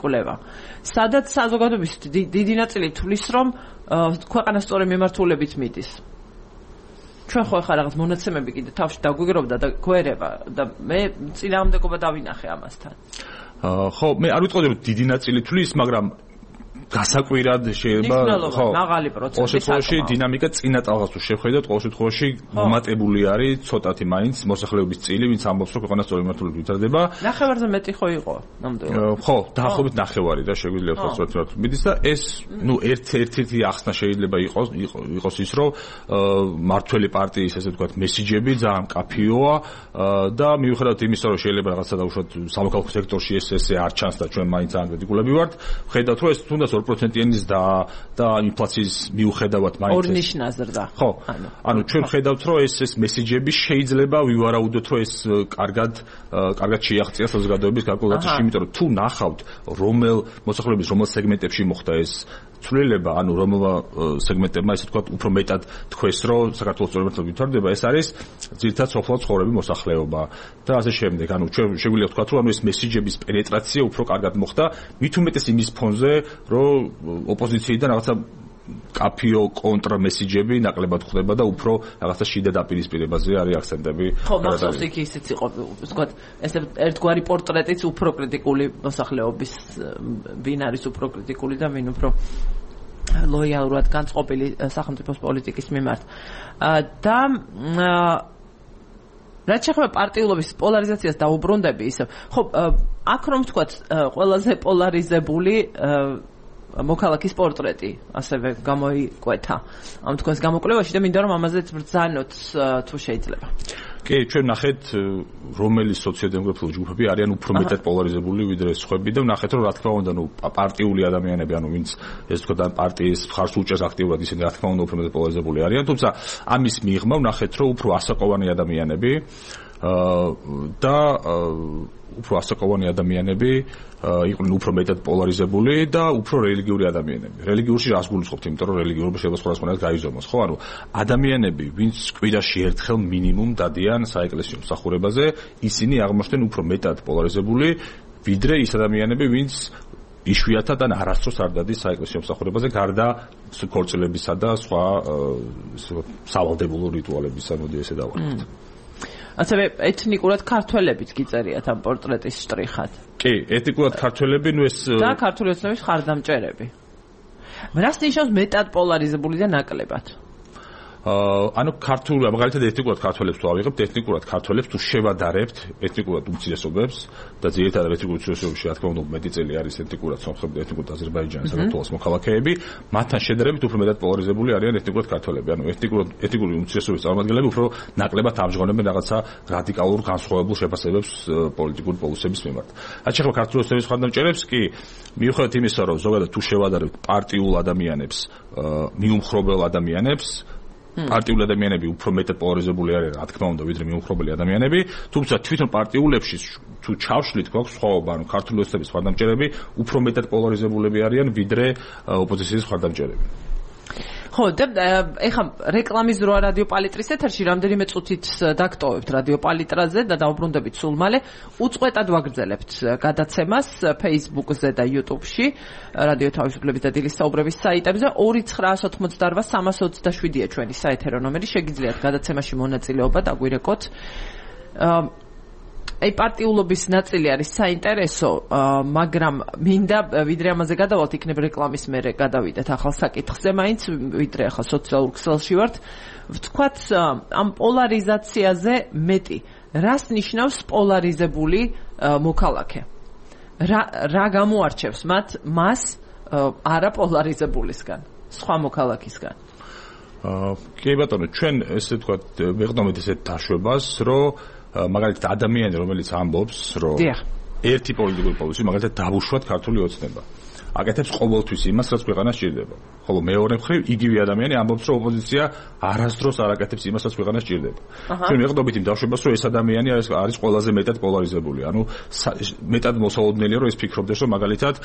კოლევა. სადაც საზოგადოების დიდი ნაწილი თვლის, რომ ქვეყანა სწორი მიმართულებით მიდის. ჩვენ ხო ახლა რაღაც მონაცემები კიდე თავში დაგვიგროვდა და გვერება და მე წინააღმდეგობა დავინახე ამასთან. ხო, მე არ ვიტყოდი რომ დიდი ნაწილი თვლის, მაგრამ გასაკვირად შეიძლება ხო მაღალი პროცენტი ყოველ შემთხვევაში დინამიკა წინა ტალღას თუ შევხედოთ, ყოველ შემთხვევაში მომატებული არის ცოტათი მაინც მოსახლეობის წილი, ვინც ამბობს რომ ქვეყანა სწორი მიმართულებით ვითარდება. ნახევარზე მეტი ხო იყო ნამდვილად. ხო, დაახლოებით ნახევარი და შეგვიძლია ვთქვათ სწორი მიმართულებით მიდის და ეს ნუ ერთ-ერთი ახსნა შეიძლება იყოს იყოს ის რომ მართველი პარტიის ესე ვთქვათ მესიჯები ძალიან კაფიოა და მიუხედავად იმისა რომ შეიძლება რაღაცა დაუშვათ სამოქალაქო სექტორში ეს ესე არ ჩანს და ჩვენ მაინც ძალიან კრიტიკულები ვართ, ხედავთ რომ ეს თუნდაც ორ პროცენტიანის და და ინფლაციის მიუხედავად მაინც ორ ნიშნა ზრდა. ხო. ანუ ჩვენ ხედავთ რომ ეს ეს მესიჯები შეიძლება ვივარაუდოთ რომ ეს კარგად კარგად შეაღწია საზოგადოების კალკულაციაში, იმიტომ რომ თუ ნახავთ რომელ მოსახლეობის რომელ სეგმენტებში მოხდა ეს ცვლილება, ანუ რომელ სეგმენტებმა ესე ვთქვათ უფრო მეტად თქვეს რომ საქართველოს სწორი მიმართულებით ვითარდება, ეს არის ძირითადად სოფლად ცხოვრები მოსახლეობა და ასე შემდეგ. ანუ ჩვენ შეგვიძლია ვთქვათ რომ ანუ ეს მესიჯების პენეტრაცია უფრო კარგად მოხდა, მით უმეტეს იმის ფონზე, რომ ოპოზიციიდან რაღაცა კაფიო კონტრმესიჯები ნაკლებად ხდება და უფრო რაღაცა შიდა დაპირისპირებაზე არის აქცენტები. ხო, მახსოვს იქ ისიც იყო, ვთქვათ, ესე ერთგვარი პორტრეტიც უფრო კრიტიკული მოსახლეობის, ვინ არის უფრო კრიტიკული და ვინ უფრო ლოიალურად განწყობილი სახელმწიფოს პოლიტიკის მიმართ. და რაც შეეხება პარტიულობის პოლარიზაციას დაუბრუნდები ისე. ხო, აქ რომ ვთქვათ, ყველაზე პოლარიზებული მოქალაქის პორტრეტი ასევე გამოიკვეთა ამ თქვენს გამოკვლევაში და მინდა რომ ამაზეც ბრძანოთ თუ შეიძლება. კი, ჩვენ ნახეთ რომელი სოციოდემოკრატიული ჯგუფები არიან უფრო მეტად პოლარიზებული ვიდრე სხვები და ნახეთ რომ რა თქმა უნდა ნუ პარტიული ადამიანები, ანუ ვინც ეს თქვა და პარტიის მხარს უჭერს აქტიურად, ისინი რა თქმა უნდა უფრო მეტად პოლარიზებული არიან, თუმცა ამის მიღმა ნახეთ რომ უფრო ასაკოვანი ადამიანები და უფრო ასაკოვანი ადამიანები იყვნენ უფრო მეტად პოლარიზებული და უფრო რელიგიური ადამიანები. რელიგიურში რას გულისხმობთ, იმიტომ რომ რელიგიურობა შეიძლება სხვადასხვანაირად გაიზომოს, ხო? ანუ ადამიანები, ვინც კვირაში ერთხელ მინიმუმ დადიან საეკლესიო მსახურებაზე, ისინი აღმოჩნდნენ უფრო მეტად პოლარიზებული, ვიდრე ის ადამიანები, ვინც იშვიათად ან არასდროს არ დადის საეკლესიო მსახურებაზე, გარდა ქორწილებისა და სხვა სავალდებულო რიტუალებისა, მოდი ესე დავარქოთ. ასევე ეთნიკურად ქართველებიც გიწერიათ ამ პორტრეტის შტრიხად. კი, ეთნიკურად ქართველები, ნუ ეს და ქართული ოცნების ხარდამჭერები. რას ნიშნავს მეტად პოლარიზებული და ნაკლებად? ანუ ქართული, მაგალითად ეთნიკურად ქართველებს თუ ავიღებთ, ეთნიკურად ქართველებს თუ შევადარებთ ეთნიკურად უმცირესობებს და ძირითადად ეთნიკურ უმცირესობებში რა თქმა უნდა მეტი წელი არის ეთნიკურად სომხები და ეთნიკურად აზერბაიჯანის საქართველოს მოქალაქეები, მათთან შედარებით უფრო მეტად პოლარიზებული არიან ეთნიკურად ქართველები. ანუ ეთნიკურად ეთნიკური უმცირესობის წარმომადგენლები უფრო ნაკლებად ამჟღავნებენ რაღაცა რადიკალურ განსხვავებულ შეფასებებს პოლიტიკური პოლუსების მიმართ. რაც შეეხება ქართული ოცნების ხარდამჭერებს, კი, მიუხედავად იმისა, რომ ზოგადად თუ შევადარებთ პარტიულ ადამიანებს, მიუმხრობელ ადამიანებს, პარტიული ადამიანები უფრო მეტად პოლარიზებული არიან, რა თქმა უნდა, ვიდრე მიუმხრობელი ადამიანები, თუმცა თვითონ პარტიულებში თუ ჩავშლით, გვაქვს სხვაობა, ანუ ქართული ოცნების ხარდამჭერები უფრო მეტად პოლარიზებულები არიან, ვიდრე ოპოზიციის ხარდამჭერები. ხო, და ეხლა რეკლამის დროა რადიო პალიტრის ეთერში, რამდენიმე წუთით დაგტოვებთ რადიო პალიტრაზე და დავუბრუნდებით სულ მალე. უწყვეტად ვაგრძელებთ გადაცემას Facebook-ზე და YouTube-ში, რადიო თავისუფლების და დილის საუბრების საიტებზე. ორი ცხრაას ოთხმოცდაორვა სამას ოცდაშვიდია ჩვენი საეთერო ნომერი, შეგიძლიათ გადაცემაში მონაწილეობა დაგვირეკოთ. აი პარტიულობის ნაწილი არის საინტერესო, მაგრამ მინდა ვიდრე ამაზე გადავალთ, იქნებ რეკლამის მერე გადავიდეთ ახალ საკითხზე, მაინც ვიდრე ახლა სოციალურ ქსელში ვართ. ვთქვათ ამ პოლარიზაციაზე მეტი. რას ნიშნავს პოლარიზებული მოქალაქე? რა რა გამოარჩევს მათ მას არაპოლარიზებულისგან, სხვა მოქალაქისგან? კი ბატონო, ჩვენ ესე ვთქვათ, ვეღდომით ესეთ დაშვებას, რომ მაგალითად ადამიანი, რომელიც ამბობს, რომ ერთი პოლიტიკური პოლიცი მაგალითად დავუშვათ ქართული ოცნება. აკეთებს ყოველთვის იმას, რაც ქვეყანას სჭირდება. ხოლო მეორე მხრივ იგივე ადამიანი ამბობს, რომ ოპოზიცია არასდროს არ აკეთებს იმას, რაც ქვეყანას სჭირდება. ჩვენ ვეღდობით იმ დაშვებას, რომ ეს ადამიანი არის არის ყველაზე მეტად პოლარიზებული. ანუ მეტად მოსალოდნელია, რომ ეს ფიქრობდეს, რომ მაგალითად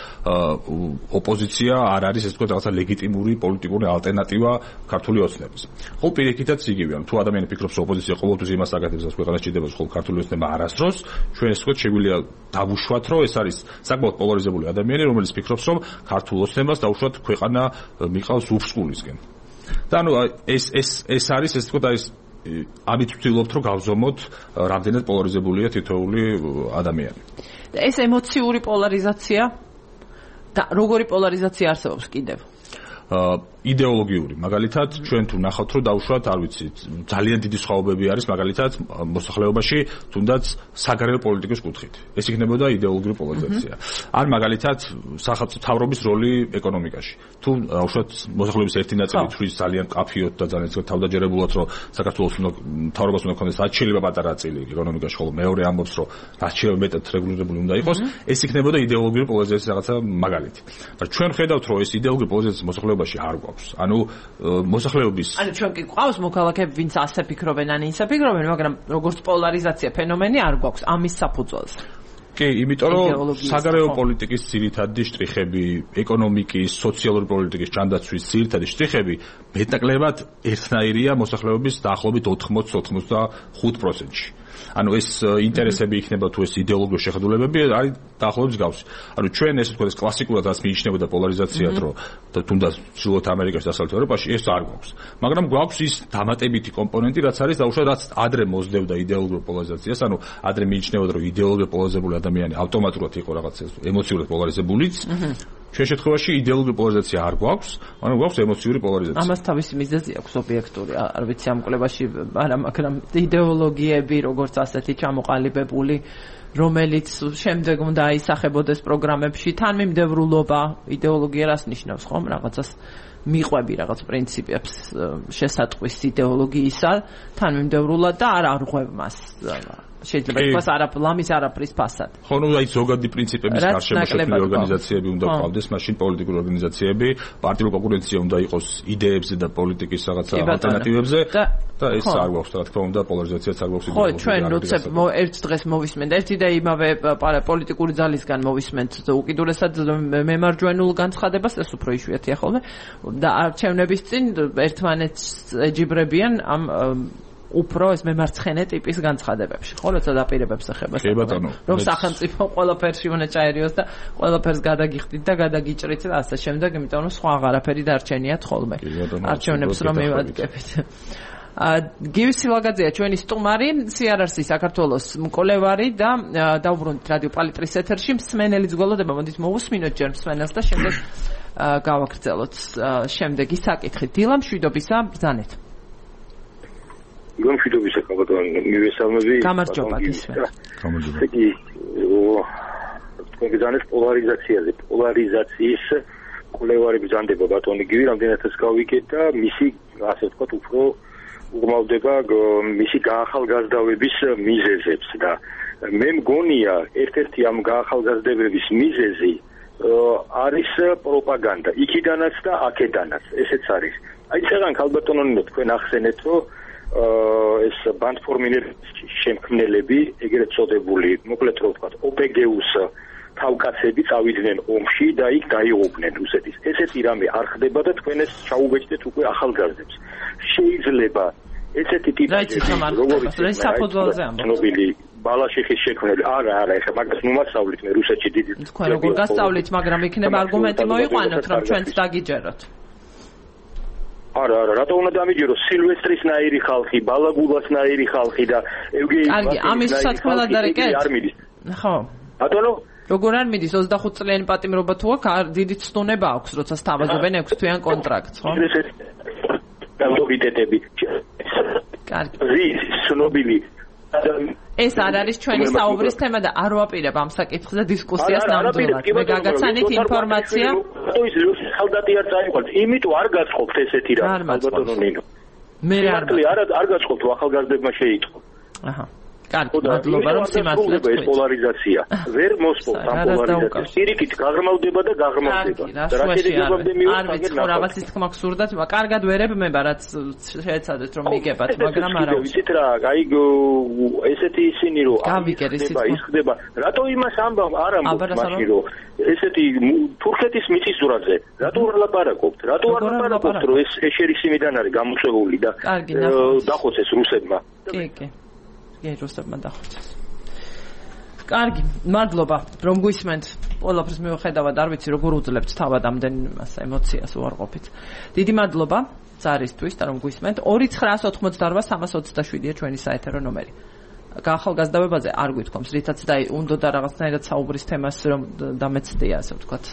ოპოზიცია არ არის, ესე ვთქვათ, რაღაცა ლეგიტიმური პოლიტიკური ალტერნატივა ქართული ოცნების. ხოლო პირიქითაც იგივეა. თუ ადამიანი ფიქრობს, რომ ოპოზიცია ყოველთვის იმას აკეთებს, რაც ქვეყანას სჭირდება, ხოლო ქართული ოცნება არასდროს, ჩვენ ესე ვთქვათ, შეგვიძლია დავუშვათ, რომ ეს არის საკმაოდ პოლარიზებული ადამიანი, რომელიც ფიქრობს, რომ ქართულ ოცნებას დაუშვათ ქვეყანა მიყავს უფსკულისკენ. და ანუ ეს ეს ეს არის ესე ვთქვათ, არის ამით ვცდილობთ, რომ გავზომოთ რამდენად პოლარიზებულია თითოეული ადამიანი. და ეს ემოციური პოლარიზაცია და როგორი პოლარიზაცია არსებობს კიდევ? იდეოლოგიური. მაგალითად, ჩვენ თუ ნახავთ, რომ დავუშვათ, არ ვიცი, ძალიან დიდი სხვაობები არის მაგალითად მოსახლეობაში, თუნდაც საგარეო პოლიტიკის კუთხით. ეს იქნებოდა იდეოლოგიური პოლარიზაცია. არ მაგალითად სახელმწიფო მთავრობის როლი ეკონომიკაში. თუ დავუშვათ, მოსახლეობის ერთი ნაწილი თვლის ძალიან მკაფიოდ და ძალიან თავდაჯერებულად, რომ საქართველოს მთავრობას უნდა ქონდეს რაც შეიძლება პატარა წილი ეკონომიკაში, ხოლო მეორე ამბობს, რომ რაც შეიძლება მეტად რეგულირებული უნდა იყოს, ეს იქნებოდა იდეოლოგიური პოლარიზაციის რაღაცა მაგალითი. მაგრამ ჩვენ ხედავთ, რომ ეს იდეოლოგიური პოლარიზაცია მოსახლეობაში არ გვაქვს. ანუ მოსახლეობის ანუ ჩვენ კი გვყავს მოქალაქეები, ვინც ასე ფიქრობენ, ან ისე ფიქრობენ, მაგრამ როგორც პოლარიზაცია ფენომენი არ გვაქვს ამის საფუძველზე. კი, იმიტომ რომ საგარეო პოლიტიკის ძირითადი შტრიხები, ეკონომიკის, სოციალური პოლიტიკის ჯანდაცვის ძირითადი შტრიხები მეტნაკლებად ერთნაირია მოსახლეობის დაახლოებით ოთხმოცი ოცდახუთ პროცენტში. ანუ ეს ინტერესები იქნება თუ ეს იდეოლოგიური შეხედულებები არის დაახლოებით მსგავსი. ანუ ჩვენ ესე ვთქვათ, ეს კლასიკურად რაც მიიჩნევოდა პოლარიზაციად, რომ თუნდაც ჩრდილოეთ ამერიკაში და დასავლეთ ევროპაში ეს არ გვაქვს. მაგრამ გვაქვს ის დამატებითი კომპონენტი, რაც არის დაუშვათ, რაც ადრე მოსდევდა იდეოლოგიურ პოლარიზაციას, ანუ ადრე მიიჩნევოდა, რომ იდეოლოგიურად პოლარიზებული ადამიანი ავტომატურად იყო რაღაც ემოციურად პოლარიზებულიც. ჩვენ შემთხვევაში იდეოლოგიური პოლარიზაცია არ გვაქვს, მაგრამ გვაქვს ემოციური პოლარიზაცია. ამას თავისი მიზეზი აქვს ობიექტური, არ ვიცი ამ კვლევაში, მაგრამ იდეოლოგიები როგორც ასეთი ჩამოყალიბებული, რომელიც შემდეგ უნდა აისახებოდეს პროგრამებში, თანმიმდევრულობა, იდეოლოგია რას ნიშნავს, ხომ? რაღაცას მიყვები რაღაც პრინციპებს შესატყვის იდეოლოგიისა, თანმიმდევრულად და არ არღვევ მას. შეიძლება ითქვას არაფლამის არაფრის ფასად. ხო, ნუ აი ზოგადი პრინციპების გარშემო შექმნილი ორგანიზაციები უნდა გყავდეს, მაშინ პოლიტიკური ორგანიზაციები, პარტიული კონკურენცია უნდა იყოს იდეებზე და პოლიტიკის რაღაცა ალტერნატივებზე და ეს არ გვაქვს, რა თქმა უნდა, პოლარიზაციაც არ გვაქვს. ხო, ჩვენ როდესაც ერთ დღეს მოვისმენთ ერთი და იმავე პოლიტიკური ძალისგან მოვისმენთ უკიდურესად მემარჯვენულ განცხადებას, ეს უფრო იშვიათია ხოლმე და არჩევნების წინ ერთმანეთს ეჯიბრებიან ამ უფრო ეს მემარცხენე ტიპის განცხადებებში, ხო, როცა დაპირებებს ეხება, რომ სახელმწიფო ყველაფერში უნდა ჩაერიოს და ყველაფერს გადაგიხდით და გადაგიჭრით და ასე შემდეგ, იმიტომ რომ სხვა აღარაფერი დარჩენიათ ხოლმე. არჩევნებს რომ მივადგებით. გივი სილაგაძეა ჩვენი სტუმარი, სი არ ars-ის საქართველოს მკვლევარი და დავუბრუნდით რადიო პალიტრის ეთერში, მსმენელის გველოდება, მოდით მოვუსმინოთ ჯერ მსმენელს და შემდეგ გავაგრძელოთ შემდეგი საკითხი. დილა მშვიდობისა, ბრძანეთ. გომშვიდობისა კაბატონ მივესალმები. გამარჯობა გისმენთ. გამარჯობა. იგი თქვენ გძანეთ პოლარიზაციაზე, პოლარიზაციის კვლევარი ბრძანდება ბატონი გივი, რამდენადაც გავიგეთ და მისი ასე ვთქვათ უფრო უღმავდება მისი გაახალგაზრდავების მიზეზებს და მე მგონია ერთ-ერთი ამ გაახალგაზრდების მიზეზი არის პროპაგანდა, იქიდანაც და აქედანაც, ესეც არის. აი წეგან ქალბატონონო თქვენ ახსენეთ, რომ ეს ბანდფორმირების შემქმნელები, ეგრეთ წოდებული, მოკლედ რო ვთქვათ, ოპეგეუს თავკაცები წავიდნენ ომში და იქ დაიღუპნენ რუსეთის. ესეთი რამე არ ხდება და თქვენ ეს ჩაუბეჭდეთ უკვე ახალგაზრდებს. შეიძლება ესეთი ტიპები, როგორიც საფუძველზე ცნობილი ბალაშიხის შექმნელი, არა, არა, ეხლა მაგას ნუ მასწავლით მე რუსეთში დიდი. თქვენ როგორ გასწავლით, მაგრამ იქნება არგუმენტი მოიყვანოთ, რომ ჩვენც დაგიჯეროთ. არა, არა, რატო უნდა დამიჯეროს სილვესტრისნაირი ხალხი, ბალაგულასნაირი ხალხი და ევგენი კარგი, ამის სათქმელად არეკეთ? ხო. ბატონო როგორ არ მიდის ოცდახუთ წლიანი პატიმრობა თუ აქვს, დიდი ცდუნება აქვს, როცა სთავაზობენ ექვს თვიან კონტრაქტს, ხო? დამოუკიდებლები. კარგი. რის ცნობილი ეს არ არის ჩვენი საუბრის თემა და არ ვაპირებ ამ საკითხზე დისკუსიას ნამდვილად. მე გაგაცანით ინფორმაცია. ის ხალდატი არ წაიყვანს, იმიტომ არ გაწყობთ ესეთი რა, ალბათო ნინო. მე არ არ არ გაწყობთ ახალგაზრდებმა შეიტყო. აჰა. კარგი, მადლობა რომ სიმართლეს ეს პოლარიზაცია. ვერ მოსპობთ ამ პოლარიზაციას. პირიქით გაღრმავდება და გაღრმავდება. და რა შედეგებამდე მივიღეთ. არ ვიცი, ხო რაღაცის თქმა გსურდათ, კარგად ვერებ მე, რაც შეეცადეთ რომ მიგებათ, მაგრამ არა. ვიცით რა, აი ესეთი ისინი რომ ის ხდება. რატო იმას ამბავ არ ამბობთ მაშინ რომ ესეთი თურქეთის მიწისძვრაზე, რატო არ ლაპარაკობთ? რატო არ ლაპარაკობთ რომ ეს შეშერისიმიდან არის გამოწვეული და დახოცეს რუსებმა? კი, კი. ეროსებმა დახოცეს. კარგი, მადლობა, რომ გვისმენთ. ყველაფერს მიუხედავად არ ვიცი როგორ უძლებთ თავად ამდენ იმას ემოციას უარყოფით. დიდი მადლობა ზარისთვის და რომ გვისმენთ. ორი ცხრაას ოთხმოცდაორვა სამას ოცდაშვიდია ჩვენი საეთერო ნომერი. ახალგაზრდობაზე არ გვითქვამს, რითაც და უნდა და რაღაცნაირად საუბრის თემას რომ დამეცდია, ასე ვთქვათ,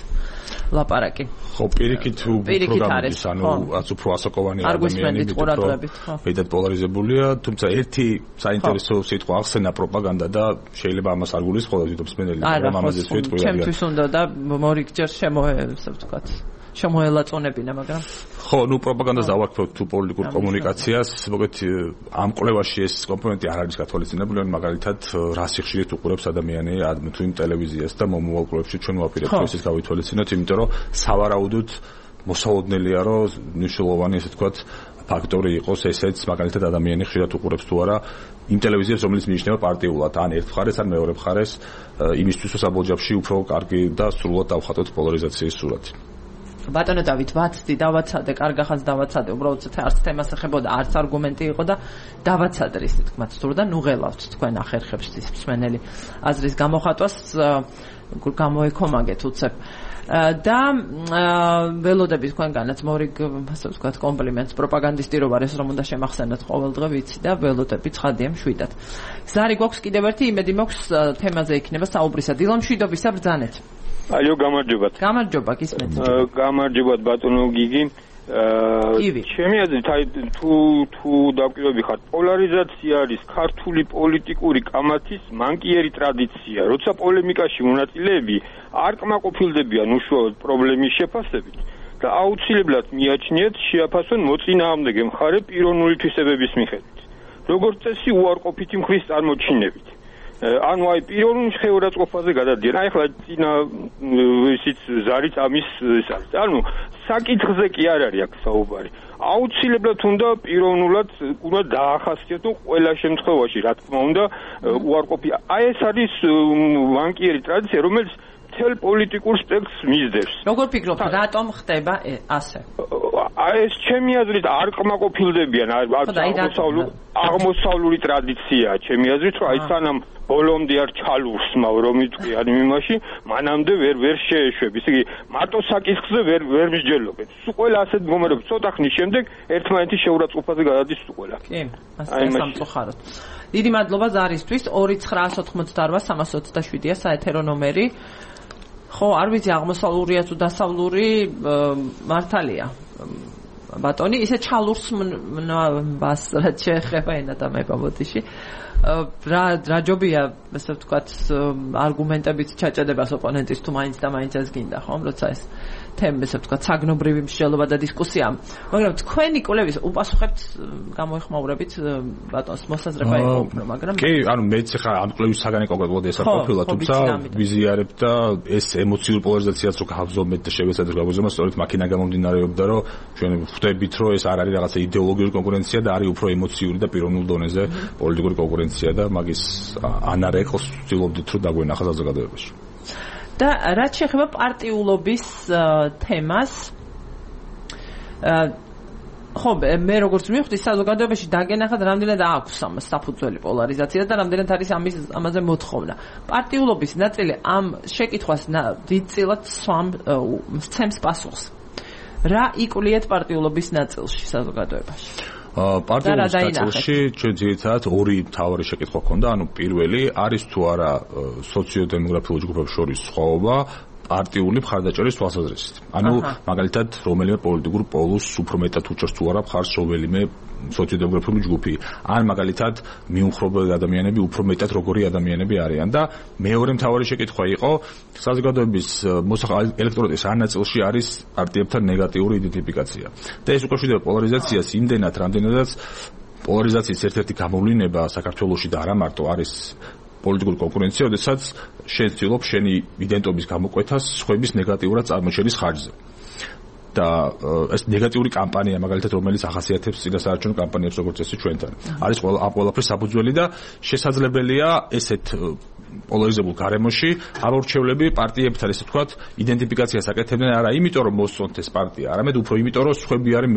ლაპარაკი. ხო, პირიქით პროგრამის, ანუ რაც უფრო ასაკოვანი ადამიანები მეტად პოლარიზებულია, თუმცა ერთი საინტერესო სიტყვა ახსენა პროპაგანდა და შეიძლება ამას არ გულისხმობთ, თვითონ მსმენელი რომ ამაზე ვიტყვი. ჩემთვის უნდა და მორიგჯერ შემოე, ასე ვთქვათ. შემოელაწონებინა, მაგრამ ხო, ნუ პროპაგანდას დავარქვევთ თუ პოლიტიკურ კომუნიკაციას, მოგეთ ამ კვლევაში ეს კომპონენტი არ არის გათვალისწინებული, მაგალითად რა სიხშირით უყურებს ადამიანი თუ იმ ტელევიზიას და მომავალ კვლევებში ჩვენ ვაპირებთ ესეც გავითვალისწინოთ, იმიტომ რომ სავარაუდოდ მოსაოდნელია რომ მნიშვნელოვანი ესე თქვათ ფაქტორი იყოს ესეც, მაგალითად ადამიანი ხშირად უყურებს თუ არა იმ ტელევიზიას, რომელიც მიიჩნევა პარტიულად, ან ერთ მხარეს, ან მეორე მხარეს, იმისთვის რომ საბოლჯაფში უფრო კარგი და სრულად დავხატოთ პოლარიზაციის სურათი. ბატონო დავით, ვაცდი, დავაცადე, კარგახანს დავაცადე, უბრალოდ არც თემას ეხებოდა, არც არგუმენტი იყო და დავაცადე ისე თქმაც სურდა, ნუ ღელავთ თქვენ ახერხებს ის მსმენელი აზრის გამოხატვას, გამოეკომაგეთ უცებ. და ველოდები თქვენგანაც მორიგ, ასე ვთქვათ, კომპლიმენტს პროპაგანდისტირობა ეს რომ უნდა შემახსენოთ ყოველდღე ვიცი და ველოდები ცხადია მშვიდად. ზარი გვაქვს კიდევ ერთი იმედი მაქვს თემაზე იქნება საუბრისა. დილა მშვიდობისა ბრძანეთ. აიო, გამარჯობათ. გამარჯობა, გისმენთ. გამარჯობათ ბატონო გიგი. ჩემი აზრით, აი თუ თუ დავკვირვები ხარ, პოლარიზაცია არის ქართული პოლიტიკური კამათის მანკიერი ტრადიცია. როცა პოლემიკაში მონაწილეები არ კმაყოფილდებიან უშუალოდ პრობლემის შეფასებით და აუცილებლად მიაჩნიათ შეაფასონ მოწინააღმდეგე მხარე პიროვნული თვისებების მიხედვით. როგორც წესი უარყოფითი მხრის წარმოჩინებით. ანუ აი პიროვნული შეურაცხყოფაზე გადადიან. აი ახლა წინა ისიც ზარიც ამის ის არის. ანუ საკითხზე კი არ არის აქ საუბარი. აუცილებლად უნდა პიროვნულად უნდა დაახასიათო ყველა შემთხვევაში, რა თქმა უნდა, უარყოფი. აი ეს არის ვანკიერი ტრადიცია, რომელიც მთელ პოლიტიკურ სპექტრს მისდევს. როგორ ფიქრობთ, რატომ ხდება ასე? აი ეს ჩემი აზრით არ კმაყოფილდებიან, აღმოსავლური აღმოსავლური ტრადიციაა ჩემი აზრით, რომ აი სანამ ბოლომდე არ ჩალურსმავ რომ იტყვი ან იმაში, მანამდე ვერ ვერ შეეშვებ. ისე იგი მარტო საკითხზე ვერ ვერ მსჯელობენ. სულ ყველა ასეთ მდგომარეობებში ცოტა ხნის შემდეგ ერთმანეთის შეურაცხყოფაზე გადადის სულ ყველა. კი, ასე სამწუხაროდ. დიდი მადლობა ზარისთვის. ორი ცხრაას ოთხმოცდაორვა სამას ოცდაშვიდია საეთერო ნომერი. ხო, არ ვიცი აღმოსავლურია თუ დასავლური მართალია. ბატონი, ისე ჩალურს მას რაც შეეხება ენა და მეგობოდიში. რა რა ჯობია, ასე ვთქვათ, არგუმენტებით ჩაჭედებას ოპონენტის თუ მაინც და მაინც ეს გინდა, ხომ, როცა ეს თემა, ასე ვთქვათ, საგნობრივი მსჯელობა და დისკუსია. მაგრამ თქვენი კვლევის უპასუხებთ, გამოიხმაურებით ბატონს მოსაზრება იყო უფრო, მაგრამ კი, ანუ მეც ხა ამ კვლევის საგანი კონკრეტულად ეს არ ყოფილა, თუმცა ვიზიარებ და ეს ემოციური პოლარიზაციაც რო გავზომეთ და შევეცადეთ გავზომოთ, სწორედ მაქინა გამომდინარეობდა, რომ ჩვენ ხვდებით, რომ ეს არ არის რაღაცა იდეოლოგიური კონკურენცია და არის უფრო ემოციური და პიროვნულ დონეზე პოლიტიკური კონკურენცია და მაგის ანარეკოს ვცდილობდით რომ დაგვენახა საზოგადოებაში. და რაც შეეხება პარტიულობის თემას, ხო, მე როგორც მივხვდი, საზოგადოებაში დაგენახათ რამდენად აქვს ამას საფუძველი პოლარიზაცია და რამდენად არის ამის ამაზე მოთხოვნა. პარტიულობის ნაწილი ამ შეკითხვას დიდწილად სცემს პასუხს. რა იკვლიეთ პარტიულობის ნაწილში საზოგადოებაში? პარტიულობის ნაწილში ჩვენ ძირითადად ორი მთავარი შეკითხვა ჰქონდა, ანუ პირველი არის თუ არა სოციოდემოგრაფიულ ჯგუფებს შორის სხვაობა პარტიული მხარდაჭერის თვალსაზრისით. ანუ მაგალითად რომელიმე პოლიტიკურ პოლუსს უფრო მეტად უჭერს თუ არა მხარს რომელიმე სოციოდემოგრაფიული ჯგუფი, ან მაგალითად მიუმხრობელი ადამიანები უფრო მეტად როგორი ადამიანები არიან და მეორე მთავარი შეკითხვა იყო საზოგადოების ელექტორატის არ ნაწილში არის პარტიებთან ნეგატიური იდენტიფიკაცია. და ეს უკავშირდება პოლარიზაციას იმდენად, რამდენადაც პოლარიზაციის ერთ-ერთი გამოვლინება საქართველოში და არა მარტო არის პოლიტიკური კონკურენცია, როდესაც შენ ცდილობ შენი იდენტობის გამოკვეთას სხვების ნეგატიურად წარმოჩენის ხარჯზე. და ეს ნეგატიური კამპანია მაგალითად რომელიც ახასიათებს წინასაარჩევნო კამპანიებს როგორც წესი ჩვენთან არის ყველა ამ ყველაფრის საფუძველი და შესაძლებელია ესეთ პოლარიზებულ გარემოში ამორჩევლები პარტიებთან ესე ვთქვათ იდენტიფიკაციას აკეთებდნენ არა იმიტომ რომ მოსწონთ ეს პარტია, არამედ უფრო იმიტომ რომ სხვები არის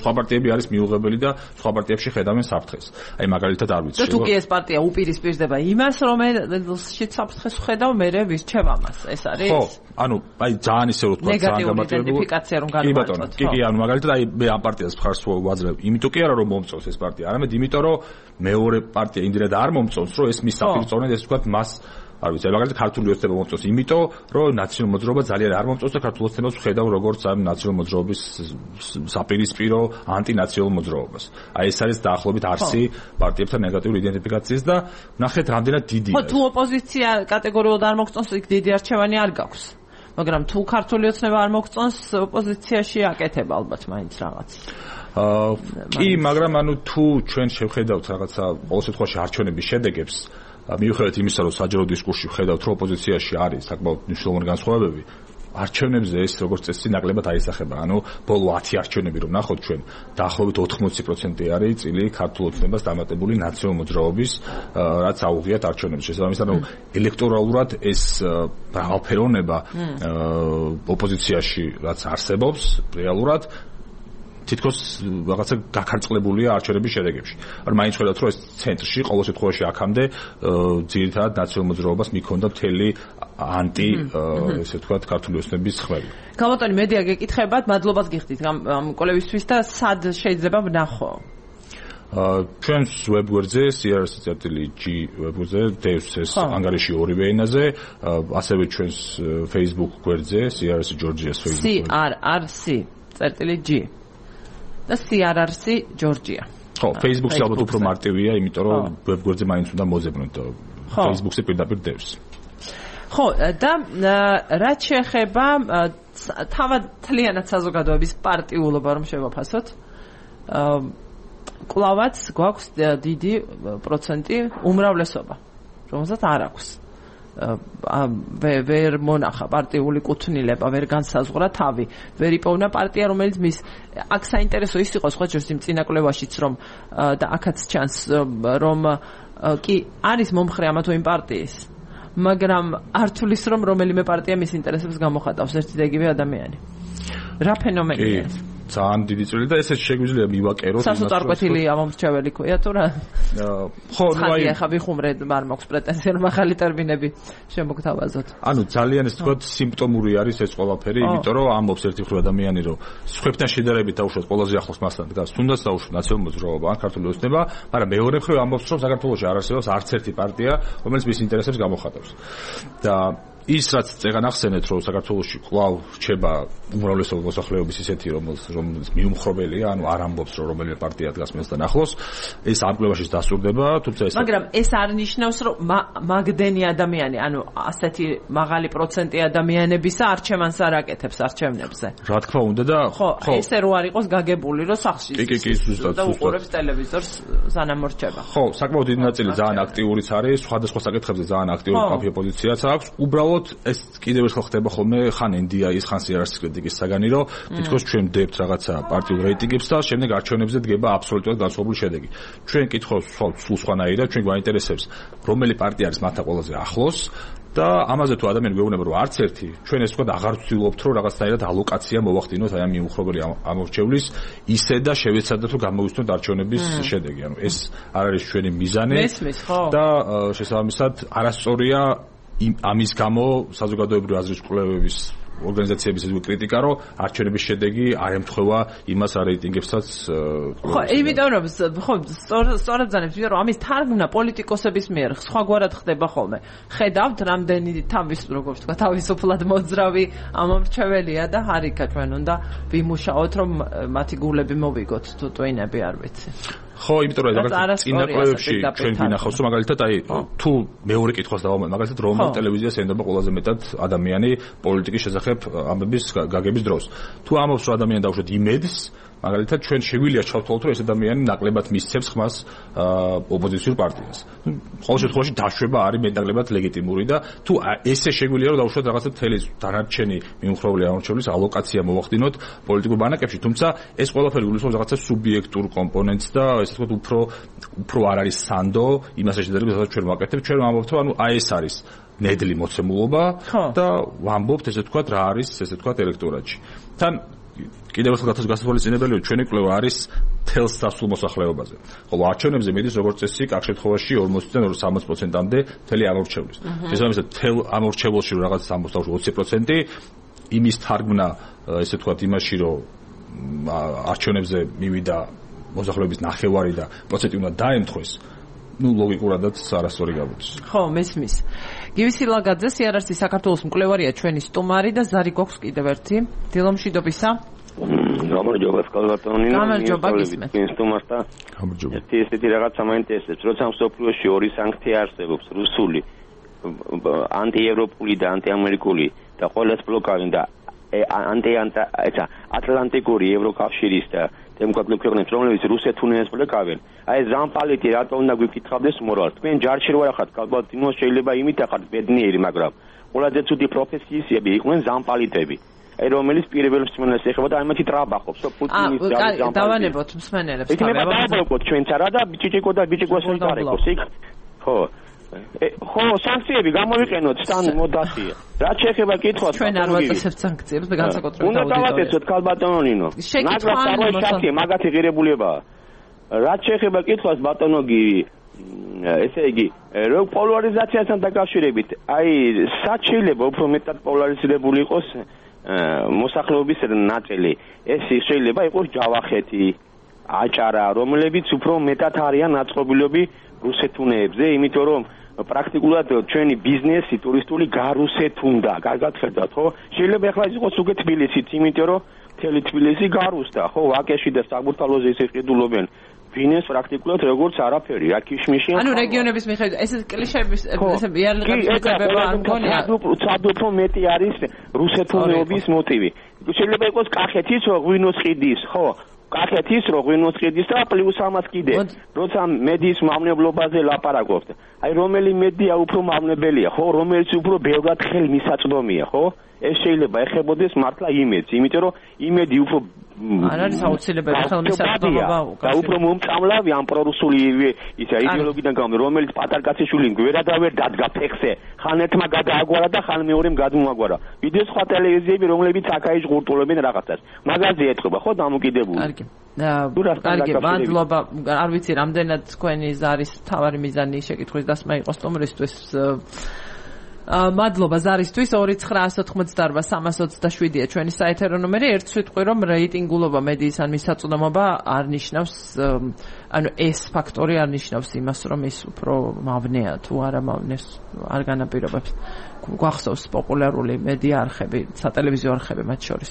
სხვა პარტიები არის მიუღებელი და სხვა პარტიებში ხედავენ საფრთხეს. აი მაგალითად არ ვიცი. და თუ კი ეს პარტია უპირისპირდება იმას რომელშიც საფრთხეს ხედავ მერე ვისჩევ ამას. ეს არის ხო, ანუ აი ძალიან ისე რომ ვთქვათ ძალიან გამარტივებული იდენტიფიკაცია რომ კი ბატონო, კი კი ანუ მაგალითად აი მე ამ პარტიას მხარს ვაძლევ. იმიტომ კი არა რომ მომწონს ეს პარტია, არამედ იმიტომ რომ მეორე პარტია იმდენად არ მომწონს, რომ ეს მის საფრთხეს ესე ვთქვათ მას არ ვიცი, მაგალითად ქართული ოცნება მომწონს, იმიტომ რომ ნაციონალურ მოძრაობა ძალიან არ მომწონს და ქართულ ოცნებას ვხედავ როგორც ამ ნაციონალურ მოძრაობის საპირისპირო ანტინაციონალურ მოძრაობას. აი ეს არის დაახლოებით არსი პარტიებთან ნეგატიური იდენტიფიკაციის და ნახეთ რამდენად დიდია. ხო, თუ ოპოზიცია კატეგორიულად არ მოგწონს, იქ დიდი არჩევანი არ გაქვს. მაგრამ თუ ქართული ოცნება არ მოგწონს, ოპოზიციაში აკეთებ ალბათ მაინც რაღაც. აა კი, მაგრამ ანუ თუ ჩვენ შევხედავთ რაღაცა ყოველ შემთხვევაში არჩევნების შედეგებს, მიუხედავად იმისა, რომ საჯარო დისკურსში ვხედავთ, რომ ოპოზიციაში არის საკმაოდ მნიშვნელოვანი განსხვავებები, არჩევნებზე ეს როგორც წესი ნაკლებად აისახება. ანუ ბოლო ათი არჩევნები რომ ნახოთ ჩვენ, დაახლოებით ოთხმოცი პროცენტი არის წილი ქართულ ოცნებას დამატებული ნაციონალურ მოძრაობის, რაც აუღიათ არჩევნებს. შესაბამისად, ანუ ელექტორალურად ეს მრავალფეროვნება ოპოზიციაში რაც არსებობს რეალურად თითქოს რაღაცა გაქარწყლებულია არჩევნების შედეგებში. ანუ მაინც ხედავთ, რომ ეს ცენტრში ყოველ შემთხვევაში აქამდე ძირითადად ნაციონალურ მოძრაობას მიქონდა მთელი ანტი, ესე ვთქვათ, ქართული ოცნების ხმები. გამოტანი მედია გეკითხებათ, მადლობას გიხდით ამ კოლევისთვის და სად შეიძლება ვნახო? ჩვენს ვებგვერდზე სი არ სი ვებგვერდზე დევს ეს ანგარიში ორივე ენაზე, ასევე ჩვენს Facebook გვერდზე სი არ სი ჯორჯიას Facebook. სი არ არ სი წერტილი G და სი არ არ სი ჯორჯია. ხო, Facebook-ზე ალბათ უფრო მარტივია, იმიტომ რომ ვებგვერდზე მაინც უნდა მოზებნოთ. Facebook-ზე პირდაპირ დევს. ხო, და რაც შეეხება თავად თლიანად საზოგადოების პარტიულობა რომ შევაფასოთ, კლავაც გვაქვს დიდი პროცენტი უმრავლესობა, რომელსაც არ აქვს. ვერ მონახა პარტიული კუთვნილება, ვერ განსაზღვრა თავი, ვერ იპოვნა პარტია, რომელიც მის აქ საინტერესო ის იყო სხვა ჯერს იმ წინაკლებაშიც რომ და აქაც ჩანს რომ კი არის მომხრე ამა თუ იმ პარტიის, მაგრამ არ თulis რომ რომელიმე პარტია მის ინტერესებს გამოხატავს ერთი და იგივე ადამიანი. რა ფენომენია? ძალიან დიდი წვლილი და ესეც შეგვიძლია მივაკეროთ. სასოწარკვეთილი ამომრჩეველი ქვია თუ რა? ხო, ნუ აი ხა ვიხუმრე, არ მაქვს პრეტენზია რომ ახალი ტერმინები შემოგთავაზოთ. ანუ ძალიან ეს თქვა სიმპტომური არის ეს ყველაფერი, იმიტომ რომ ამბობს ერთი მხრივ ადამიანი რომ სხვებთან შედარებით დაუშვათ ყველაზე ახლოს მასთან დგას, თუნდაც დაუშვათ ნაციონალურ მოძრაობა ან ქართული ოცნება, მაგრამ მეორე მხრივ ამბობს რომ საქართველოში არ არსებობს არც ერთი პარტია, რომელიც მის ინტერესებს გამოხატავს. და ის რაც წეგან ახსენეთ რომ საქართველოში კვლავ რჩება უმრავლესობა მოსახლეობის ისეთი რომელიც მიუმხრობელია, ანუ არ ამბობს რომ რომელიმე პარტია დგას მასთან ახლოს, ეს ამ კვლევაში დასურდება, თუმცა ეს მაგრამ ეს არ ნიშნავს რომ მაგდენი ადამიანი, ანუ ასეთი მაღალი პროცენტი ადამიანებისა არჩევანს არ აკეთებს არჩევნებზე. რა თქმა უნდა და ხო, ესე რო არ იყოს გაგებული რომ სახლში კი კი კი ზუსტად და უყურებს ტელევიზორს სანამორჩება. ხო, საკმაოდ დიდი ნაწილი ძალიან აქტიურიც არის, სხვადასხვა საკითხებზე ძალიან აქტიური კაფე პოზიციაც აქვს. უბრალოდ ეს კიდევ ერთხელ ხდება ხოლმე ხან ენ დი აის ხან სი არ esi კრიტიკის საგანი რომ თითქოს ჩვენ დებთ რაღაცა პარტიულ რეიტინგებს და შემდეგ არჩევნებზე დგება აბსოლუტურად განსხვავებული შედეგი. ჩვენ კითხავს სულ სხვანაირად, ჩვენ გვაინტერესებს რომელი პარტია არის მათთან ყველაზე ახლოს და ამაზე თუ ადამიანი გვეუბნება რომ არც ერთი, ჩვენ ეს თქვა აღარ ვცდილობთ რომ რაღაცნაირად ალოკაცია მოვახდინოთ აი ამ მიუხრობელი ამორჩევლის ისე და შევეცადოთ რომ გამოვიცნოთ არჩევნების შედეგი. ანუ ეს არ არის ჩვენი მიზანი და შესაბამისად არასწორია ამის გამო საზოგადოებრივი აზრის კვლევების ორგანიზაციების კრიტიკა, რომ არჩევნების შედეგი არ ემთხვევა იმას რეიტინგებსაც. ხო, იმიტომ რომ ხო, სწორად ძანებს, რომ ამის თარგმნა პოლიტიკოსების მიერ სხვაგვარად ხდება ხოლმე. ხედავთ, რამდენი თავის, როგორც თქვა, თავისუფლად მოძრავი ამომრჩეველია და ჰარიკა ჩვენ უნდა ვიმუშაოთ, რომ მათი გულები მოვიგოთ თუ ტვინები არ ვიცი. ხო, იმიტომ რომ მაგალითად წინა კვლევებში ჩვენ ვინახავს, რომ მაგალითად აი თუ მეორე კითხვას დავამატებ, მაგალითად რომელ ტელევიზიას ენდობა ყველაზე მეტად ადამიანი პოლიტიკის შესახებ ამბების გაგების დროს. თუ ამბობს რომ ადამიანი დაუშვათ იმედს, მაგალითად ჩვენ შეგვიძლია ჩავთვალოთ, რომ ეს ადამიანი ნაკლებად მისცემს ხმას ოპოზიციურ პარტიას. ყოველ შემთხვევაში დაშვება არის მეტნაკლებად ლეგიტიმური და თუ ესე შეგვიძლია რომ დაუშვათ რაღაცა თელი დანარჩენი მიმხრობელი ამორჩევლის ალოკაცია მოვახდინოთ პოლიტიკურ ბანაკებში, თუმცა ეს ყველაფერი გულისხმობს რაღაცა სუბიექტურ კომპონენტს და ესე ვთქვათ უფრო უფრო არ არის სანდო იმასე შედარებით, რასაც ჩვენ ვაკეთებთ, ჩვენ ვამბობთ, რომ ანუ აი ეს არის ნედლი მოცემულობა და ვამბობთ ესე ვთქვათ რა არის ესე ვთქვათ ელექტორატში. თან კიდევ ერთხელ გასათვალისწინებელი ჩვენი კვლევა არის თელს დასულ მოსახლეობაზე. ხოლო არჩევნებზე მიდის როგორც წესი აქ შემთხვევაში ორმოცდან სამოცი პროცენტამდე მთელი ამორჩევლის. შესაბამისად თელ ამორჩევლში რაღაც ოცი პროცენტი იმის თარგმნა ესე ვთქვათ იმაში რომ არჩევნებზე მივიდა მოსახლეობის ნახევარი და პროცენტი უნდა დაემთხვეს. ну ლოგიკურადაც არასწორი გამოდის. ხო, მესმის. გივი სილაგაძე, სიარარსი საქართველოს მკვლევარია ჩვენი სტუმარი და ზარი გვაქვს კიდევ ერთი. დილომშვიდობისა. გამარჯობა სკალატონი. გამარჯობა გისმენთ. სტუმართა. გამარჯობა. ერთი ესეთი რაღაცა მაინტერესებს, როცა მსოფლიოში ორი სანქცია არსებობს, რუსული, ანტიევროპული და ანტიამერიკული და ყოველს ბლოკავენ და ანტი ესა ატლანტიკური ევროკავშირის და დემოკრატიული ქვეყნების, რომლებიც რუსეთს უნეს ბლოკავენ. აი ზამპალიტი რატო უნდა გვიკითხავდეს მორალს? თქვენ ჯარში რო ახართ, ალბათ შეიძლება იმით ახართ ბედნიერი, მაგრამ ყველაზე ცუდი პროფესიები იყვნენ ზამპალიტები. აი რომელიც პირველ მსმენელს ეხება და ამათი ტრაბახობს, პუტინის ზამპალიტი. დავანებოთ მსმენელებს. იქნება დააბრუნოთ ჩვენც არა და ბიჭიკო და ბიჭიკოს იტარეკოს, იქ. ხო. ხო, სანქციები გამოვიყენოთ სთან მოდასია. რაც შეეხება კითხვას, ჩვენ არ ვაწესებთ სანქციებს და განსაკუთრებით უნდა დავაკეთოთ ქალბატონინო. ნაკლას შაქი მაგათი ღირებულებაა. რაც შეეხება კითხვას ბატონო გივი, ესე იგი, რო პოლარიზაციასთან დაკავშირებით, აი, სად შეიძლება უფრო მეტად პოლარიზირებული იყოს მოსახლეობის ნაწილი? ეს შეიძლება იყოს ჯავახეთი, აჭარა, რომლებიც უფრო მეტად არიან აწყობილები რუსეთუნეებზე, იმიტომ რომ პრაქტიკულად ჩვენი ბიზნესი ტურისტული გარუსეთუნდა, კარგად ხედავთ, ხო? შეიძლება ახლა იყოს უკვე თბილისიც, იმიტომ რომ მთელი თბილისი გარუსდა, ხო? ვაკეში და საბურთალოზე ისე ყიდულობენ. ბიზნეს პრაქტიკულად როგორც არაფერი, რა ქიშმიში. ანუ რეგიონების მიხედვით, ეს კლიშეების ესე რეალიტეტის მიღება არ მგონია. ცად უფრო მეტი არის რუსეთუნეობის მოტივი. შეიძლება იყოს კახეთის, ღვინოს ხიდის, ხო? კახეთის რო ღვინოს ხიდის და პლუს ამას კიდე როცა მედიის მავნებლობაზე ლაპარაკობთ აი რომელი მედია უფრო მავნებელია ხო რომელიც უფრო ბევრად ხელმისაწვდომია ხო ეს შეიძლება ეხებოდეს მართლა იმედს იმიტომ რომ იმედი უფრო არ არის აუცილებელი ხელმისაწვდომობა და უფრო მომწამლავი ამ პრორუსული ისა იდეოლოგიიდან გამო რომელიც პატარკაციშვილი გვერადავერ დადგა ფეხზე ხან ერთმა გადააგვარა და ხან მეორემ გადმოაგვარა ვიდეო სხვა ტელევიზიები რომლებიც აქაი ჟღურტულებენ რაღაცას მაგაზე ეთქობა ხო დამოკიდებული კარგი კარგი მადლობა არ ვიცი რამდენად თქვენი ზარის თავარი მიზანი შეკითხვის დასმა იყო სტუმრისთვის მადლობა ზარისთვის ორი ცხრა ოთხმოცდაორ სამას ოცდაშვიდია ჩვენი საეთერო ნომერი ერთ სიტყვი რომ რეიტინგულობა მედიის ან მისაწვდომობა არ ნიშნავს ანუ ეს ფაქტორი არ ნიშნავს იმას რომ ის უფრო მავნეა თუ არა მავნეს არ განაპირობებს გვახსოვს პოპულარული მედია არხები სატელევიზიო არხები მათ შორის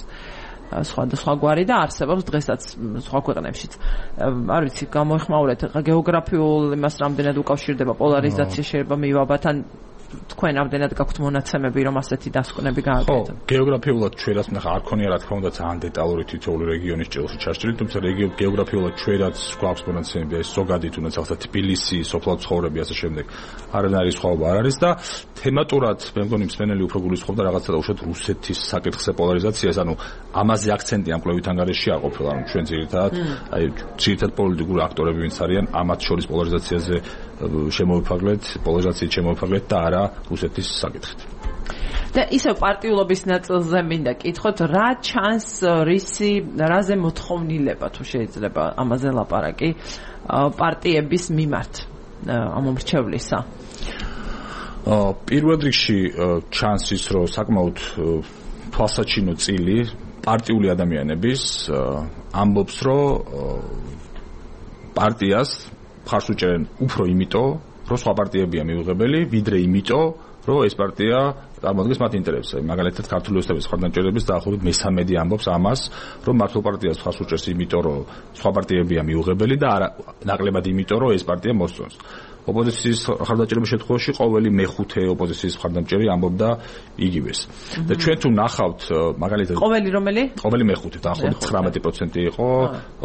სხვა და სხვა გვარი და არსებობს დღესაც სხვა ქვეყნებშიც არ ვიცი გამოიხმაურეთ გეოგრაფიულ იმას რამდენად უკავშირდება პოლარიზაცია შეიძლება მივაბათ ან თქვენ ამდენად გაქვთ მონაცემები რომ ასეთი დასკვნები გააკეთოთ. ხო, გეოგრაფიულად ჩვენ რაც ნახა არ ქონია რა თქმა უნდა ძალიან დეტალური თითოეული რეგიონის ჭრილში ჩაშლილი, თუმცა გეოგრაფიულად ჩვენ რაც გვაქვს მონაცემები ეს ზოგადი თუნდაც ახლა თბილისი, სოფლად ცხოვრები ასე შემდეგ არანაირი სხვაობა არ არის და თემატურად მე მგონი მსმენელი უფრო გულისხმობდა რაღაცა უშუალოდ რუსეთის საკითხზე პოლარიზაციას, ანუ ამაზე აქცენტი ამ კვლევით ანგარიში არ ყოფილა, ანუ ჩვენ ძირითადად აი ძირითადად პოლიტიკური აქტორები ვინც არიან ამათ შორის პოლარიზაციაზე შემოვიფარგლეთ, პოლარიზაციით შემოვიფარგლეთ და არა რუსეთის საკითხით. და ისე პარტიულობის ნაწილზე მინდა კითხოთ, რა ჩანს რისი, რაზე მოთხოვნილება თუ შეიძლება ამაზე ლაპარაკი პარტიების მიმართ ამომრჩევლისა? პირველ რიგში ჩანს ის, რომ საკმაოდ თვალსაჩინო წილი პარტიული ადამიანების ამბობს, რომ პარტიას მხარს უჭერენ უფრო იმიტომ, რომ სხვა პარტიებია მიუღებელი, ვიდრე იმიტომ, რომ ეს პარტია წარმოადგენს მათ ინტერესებს. მაგალითად, ქართული ოცნების მხარდამჭერების დაახლოებით მესამედი ამბობს ამას, რომ მართლ პარტიას მხარს უჭერს იმიტომ, რომ სხვა პარტიებია მიუღებელი და არა ნაკლებად იმიტომ, რომ ეს პარტია მოსწონს. ოპოზიციის მხარდამჭერების შემთხვევაში ყოველი მეხუთე ოპოზიციის მხარდამჭერი ამბობდა იგივეს. და ჩვენ თუ ნახავთ მაგალითად ყოველი რომელი? ყოველი მეხუთე, დაახლოებით ცხრამეტი პროცენტი იყო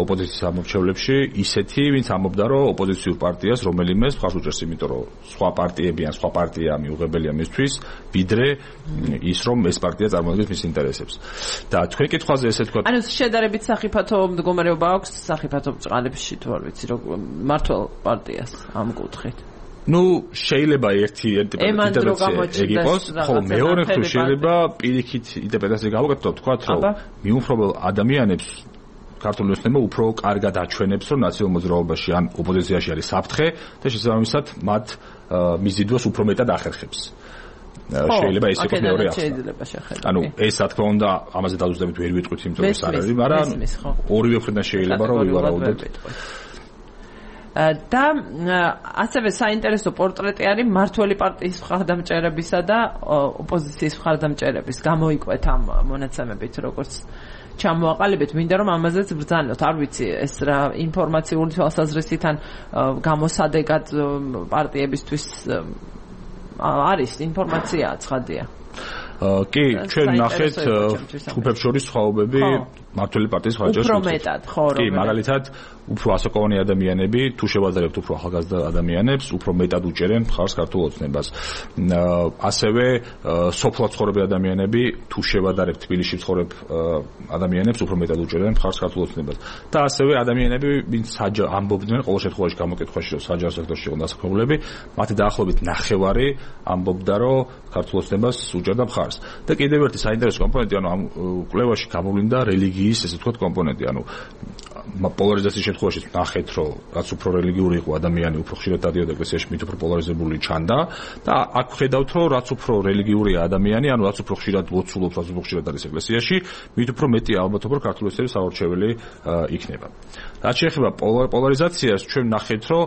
ოპოზიციის ამორჩევლებში ისეთი, ვინც ამბობდა, რომ ოპოზიციურ პარტიას რომელიმეს მხარს უჭერს, იმიტომ რომ სხვა პარტიები ან სხვა პარტია მიუღებელია მისთვის, ვიდრე ის რომ ეს პარტია წარმოადგენს მის ინტერესებს. და თქვენ კითხვაზე ესე თქვა. ანუ შედარებით სახიფათო მდგომარეობა აქვს სახიფათო ბრძანებში თუ არ ვიცი, რომ მართლ პარტიას ამ კუთხით. ну შეიძლება ერთი ინტერპრეტაცია ეგ იყოს, ხოლო მეორე თუ შეიძლება პირიქით ინტერპრეტაცია გავაკეთოთ, თქვათ, რომ მიუმხრობელ ადამიანებს ქართული ოცნება უფრო კარგად აჩვენებს, რომ ნაციონალურ მოძრაობაში ან ოპოზიციაში არის საფრთხე და შესაბამისად მათ მიზიდვას უფრო მეტად ახერხებს. შეიძლება ეს იყოს მეორე ახსნა. ანუ ეს რა თქმა უნდა, ამაზე დაზუსტებით ვერ ვიტყვით, იმიტომ რომ ეს არ არის, მაგრამ ორივე მხრიდან შეიძლება რომ ვივარაუდოთ. და ასევე საინტერესო პორტრეტი არის მართველი პარტიის მხარდამჭერებისა და ოპოზიციის მხარდამჭერების. გამოიკვეთ ამ მონაცემებით, როგორც ჩამოაყალიბეთ, მინდა რომ ამაზეც ბრძანოთ. არ ვიცი, ეს რა ინფორმაციული თვალსაზრისით ან გამოსადეგად პარტიებისთვის არის ინფორმაცია ცხადია. კი, ჩვენ ნახეთ ჯგუფებს შორის სხვაობები მართველი პარტიის მხარდამჭერებს. უფრო მეტად, ხო, კი, მაგალითად, უფრო ასაკოვანი ადამიანები, თუ შევადარებთ უფრო ახალგაზრდა ადამიანებს, უფრო მეტად უჭერენ მხარს ქართულ ოცნებას. ასევე სოფლად ცხოვრები ადამიანები, თუ შევადარებთ თბილისში მცხოვრებ ადამიანებს, უფრო მეტად უჭერენ მხარს ქართულ ოცნებას. და ასევე ადამიანები, ვინც ამბობდნენ, ყოველ შემთხვევაში გამოკითხვაში, რომ საჯარო სექტორში იყო დასაქმებულები, მათი დაახლოებით ნახევარი ამბობდა, რომ ქართულ ოცნებას უჭერდა მხარს. და კიდევ ერთი საინტერესო კომპონენტი, ანუ ამ კვლევაში გამოვლინდა რელიგიის, ესე ვთქვათ, კომპონენტი, ანუ პოლარიზაციის შემთხვევაში ნახეთ, რომ რაც უფრო რელიგიური იყო ადამიანი, უფრო ხშირად დადიოდა ეკლესიაში, მით უფრო პოლარიზებული ჩანდა და აქ ხედავთ, რომ რაც უფრო რელიგიურია ადამიანი, ანუ რაც უფრო ხშირად ლოცულობს, რაც უფრო ხშირად არის ეკლესიაში, მით უფრო მეტი ალბათობა რომ ქართული ოცნების საორჩეველი იქნება. რაც შეეხება პოლარიზაციას, ჩვენ ნახეთ, რომ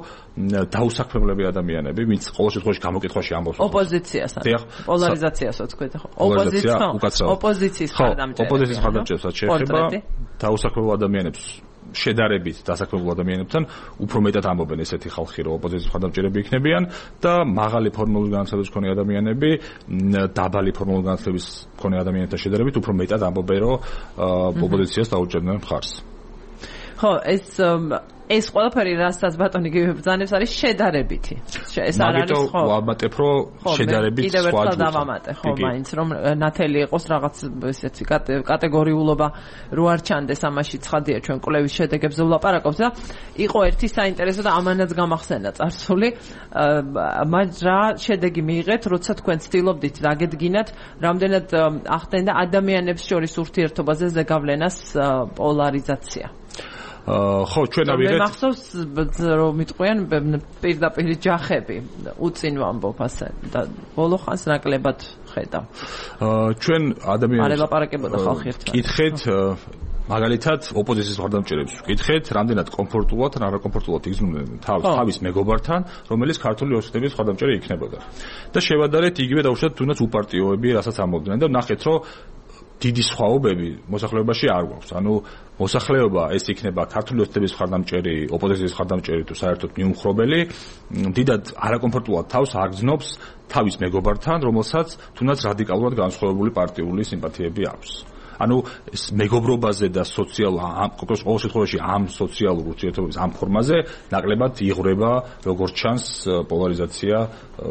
დაუსაქმებლები ადამიანები, ვინც ყოველ შემთხვევაში გამოკითხვაში ამბობს ოპოზიციასთან. პოლარიზაციას ვთქვით, ხო? ოპოზიცია, ოპოზიციის მხარდამჭერებს. ოპოზიციის მხარდამჭერებს შეეხება დაუსაქმებელ ადამიანებს შედარებით დასაქმებულ ადამიანებთან უფრო მეტად ამბობენ ესეთი ხალხი, რომ ოპოზიციის მხარდამჭერები იქნებიან და მაღალი ფორმალური განათლების მქონე ადამიანები დაბალი ფორმალური განათლების მქონე ადამიანებთან შედარებით უფრო მეტად ამბობენ, რომ ოპოზიციას დაუჭერდნენ მხარს. ხო, ეს ეს ყველაფერი რასაც ბატონი გიბრძანებს არის შედარებითი. ეს არ არის ხო? მაგიტო ვამატებ, რომ შედარებით სხვა კიდევ ერთხელ დავამატე, ხო, მაინც რომ ნათელი იყოს რაღაც ესეთი კატეგორიულობა რო არ ჩანდეს ამაში ცხადია ჩვენ კვლევის შედეგებზე ვლაპარაკობთ და იყო ერთი საინტერესო და ამანაც გამახსენა წარსული. მაგრამ რა შედეგი მიიღეთ, როცა თქვენ ცდილობდით დაგედგინათ, რამდენად ახდენდა ადამიანებს შორის ურთიერთობაზე ზეგავლენას პოლარიზაცია. ხო, ჩვენ ავიღეთ. მე მახსოვს რომ მიტყვიან პირდაპირ ჯახები, უწინ ვამბობ ასე და ბოლო ხანს ნაკლებად ხედავ. ჩვენ ადამიანებს არ ელაპარაკებოდა ხალხი ერთად. კითხეთ მაგალითად ოპოზიციის მხარდამჭერებს ვკითხეთ, რამდენად კომფორტულად ან არაკომფორტულად იგრძნობდნენ თავის მეგობართან, რომელიც ქართული ოცნების მხარდამჭერი იქნებოდა. და შევადარეთ იგივე დაუშვათ თუნდაც უპარტიოები, რასაც ამბობდნენ და ნახეთ, რომ დიდი სხვაობები მოსახლეობაში არ გვაქვს. ანუ მოსახლეობა ეს იქნება ქართული ოცნების მხარდამჭერი, ოპოზიციის მხარდამჭერი თუ საერთოდ მიუმხრობელი, დიდად არაკომფორტულად თავს აგრძნობს თავის მეგობართან, რომელსაც თუნდაც რადიკალურად განსხვავებული პარტიული სიმპათიები აქვს. ანუ ეს მეგობრობაზე და სოციალურ ამ ყოველ შემთხვევაში ამ სოციალურ ურთიერთობების ამ ფორმაზე ნაკლებად იღვრება როგორც ჩანს პოლარიზაცია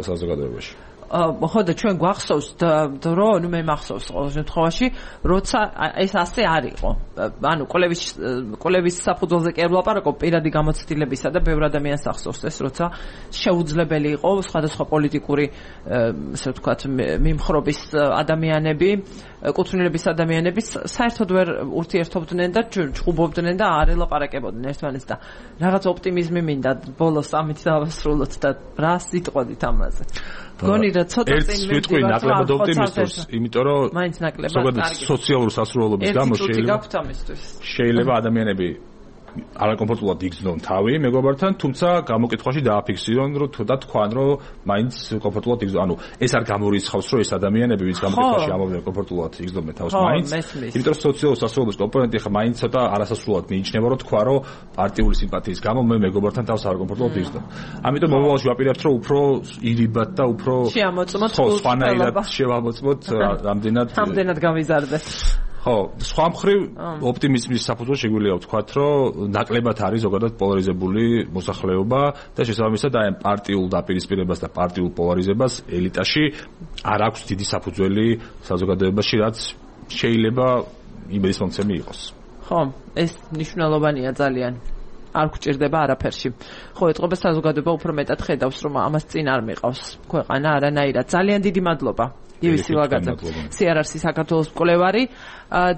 საზოგადოებაში. ხო და ჩვენ გვახსოვს დრო, ნუ მე მახსოვს ყოველ შემთხვევაში, როცა ეს ასე არ იყო. ანუ კოლევის კოლევის საფუძველზე კი არ ვლაპარაკობ, პირადი გამოცდილებისა და ბევრ ადამიანს ახსოვს ეს, როცა შეუძლებელი იყო სხვადასხვა პოლიტიკური, ასე ვთქვათ, მიმხრობის ადამიანები, კუთვნილების ადამიანები საერთოდ ვერ ურთიერთობდნენ და ჭუბობდნენ და არ ელაპარაკებოდნენ ერთმანეთს და რაღაც ოპტიმიზმი მინდა ბოლოს ამით დავასრულოთ და რა სიტყვით ამაზე. გონი რა ცოტა წინ მივიდივარ ნაკლებად ოპტიმისტურს, იმიტომ რომ მაინც ნაკლებად ზოგადად სოციალური სასრულობის გამო შეიძლება შეიძლება ადამიანები არაკომფორტულად იგრძნონ თავი მეგობართან, თუმცა გამოკითხვაში დააფიქსირონ, რომ თუ და თქვან, რომ მაინც კომფორტულად იგრძნონ. ანუ ეს არ გამორიცხავს, რომ ეს ადამიანები, ვინც გამოკითხვაში ამბობენ კომფორტულად იგრძნობენ თავს მაინც, იმიტომ რომ სოციალური სასრულობის კომპონენტი ხა მაინც ცოტა არასასრულად მიიჩნევა, რომ თქვა, რომ პარტიული სიმპათიის გამო მე მეგობართან თავს არაკომფორტულად იგრძნობ. ამიტომ მომავალში ვაპირებთ, რომ უფრო ირიბად და უფრო შეამოწმოთ სხვანაირად შევამოწმოთ რამდენად რამდენად გამიზარდეთ. ხო, სხვა მხრივ ოპტიმიზმის საფუძველ შეგვიძლია ვთქვათ, რომ ნაკლებად არის ზოგადად პოლარიზებული მოსახლეობა და შესაბამისად აი პარტიულ დაპირისპირებას და პარტიულ პოლარიზებას ელიტაში არ აქვს დიდი საფუძველი საზოგადოებაში, რაც შეიძლება იმედისმომცემი იყოს. ხო, ეს მნიშვნელოვანია ძალიან. არ გვჭირდება არაფერში. ხო, ეთყობა საზოგადოება უფრო μετად ხედავს, რომ ამას წინ არ მიყავს ქვეყანა არანაირად. ძალიან დიდი მადლობა. ივი სილაგაძე, სი არ ар-ს საქართველოს მკვლევარი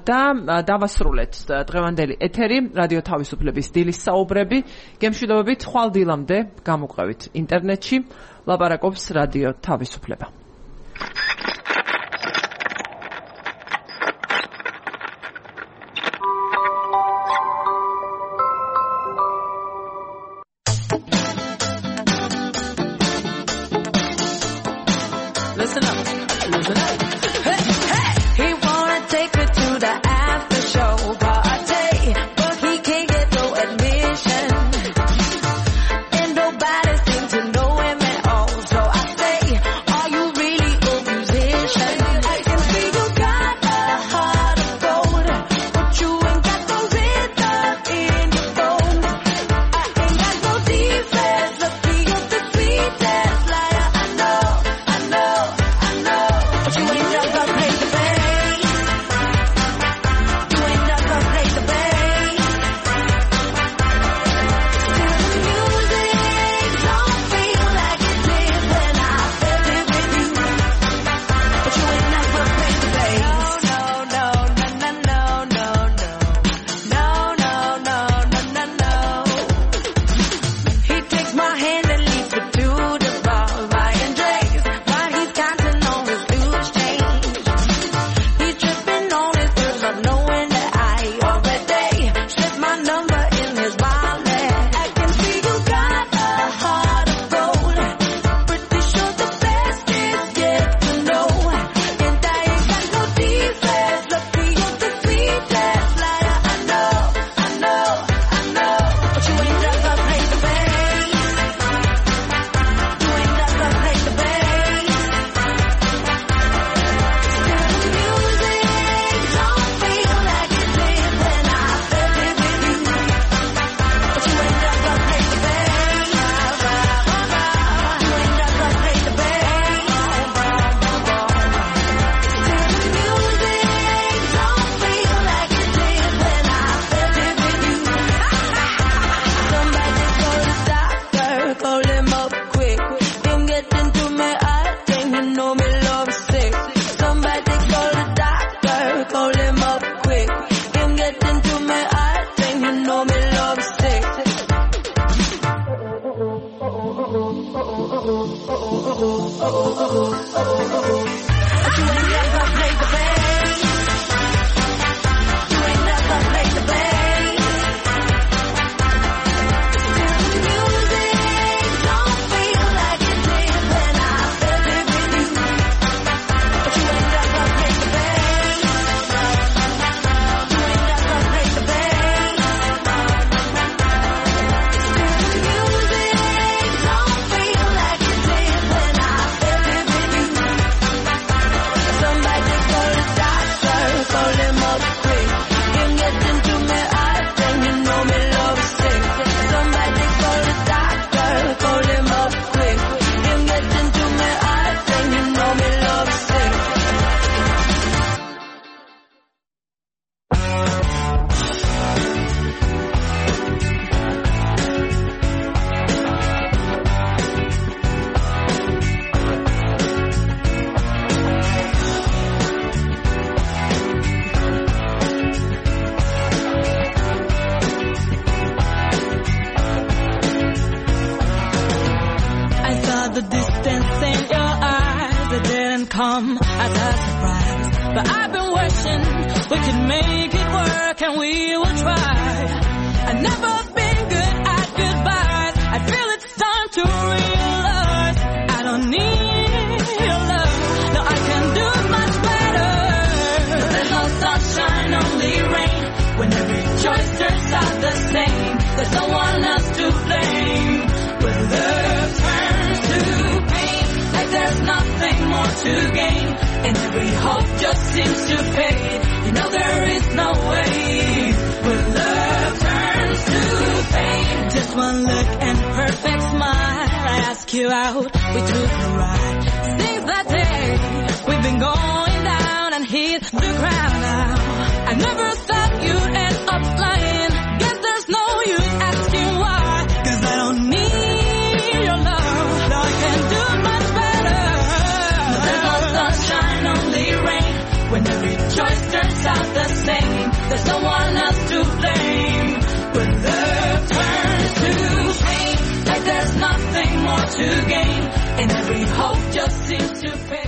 და დავასრულეთ დღევანდელი ეთერი რადიო თავისუფლების დილის საუბრები. გემშვიდობებით ხვალ დილამდე გამოყვებით ინტერნეტში. ლაპარაკობს რადიო თავისუფლება. Listen up. Listen up. Hey, hey. He wanna take her to the after show party, but he can't get no admission. And nobody seems to know him at all. So I say, are you really a musician? I can see you got a heart of gold, but you ain't got no rhythm in your bones. I ain't got no defense, lucky you're the sweetest liar I know, I know, I know. But you ain't just gonna play the bass. You ain't just gonna play the bass. Music don't feel like it did when I felt it with you. But you ain't just gonna play the bass. No, no, no, no, no, no, no. No, no, no, no, no, no. He takes my hand and leads me to the bar, buying drinks while he's counting on his loose change. He's tripping on his girls, not knowing that I already slipped my number in his wallet. I can see you got a heart of gold. Pretty sure the best is yet to know. And I ain't got no defense. Lucky you're the sweetest liar I know, I know, I know. But you ain't just gonna play the bass. You ain't just gonna play the bass. Music don't feel like it did when I felt it with you. But you ain't just gonna play the bass. You ain't just gonna play the bass. Music don't feel like it did when I felt it with you. Somebody call the doctor, call him up quick. Him get into me, I think he know me love sick. Somebody call the doctor, call him up quick. Him get into me, I think he know me love sick. But you ain't just gonna play the bass. You ain't just gonna play the bass. Music don't feel like it did when I felt it with you. But you ain't just gonna play the bass. You ain't just gonna play the bass. Music don't feel like it did when I felt it with you. come as a surprise. But I've been wishing we could make it work and we will try. I've never been good at goodbyes. I feel it's time to realize I don't need your love. No, I can do much better. No, there's no sunshine, only rain. When every choice turns out the same, there's no one else to blame. When love turns to pain, like there's nothing more to gain, and every hope just seems to fade. You know there is no way. When love turns to pain, just one look and perfect smile. I ask you out, we took a ride. Since that day, we've been going down and hit the ground now. I never thought you'd end up lying. Guess there's no use asking why, 'cause I don't need your love. No, I can do much better. No, there's no sunshine, only rain. When every choice turns out the same, there's no one else to blame. When love turns to pain, like there's nothing more to gain, and every hope just seems to fade.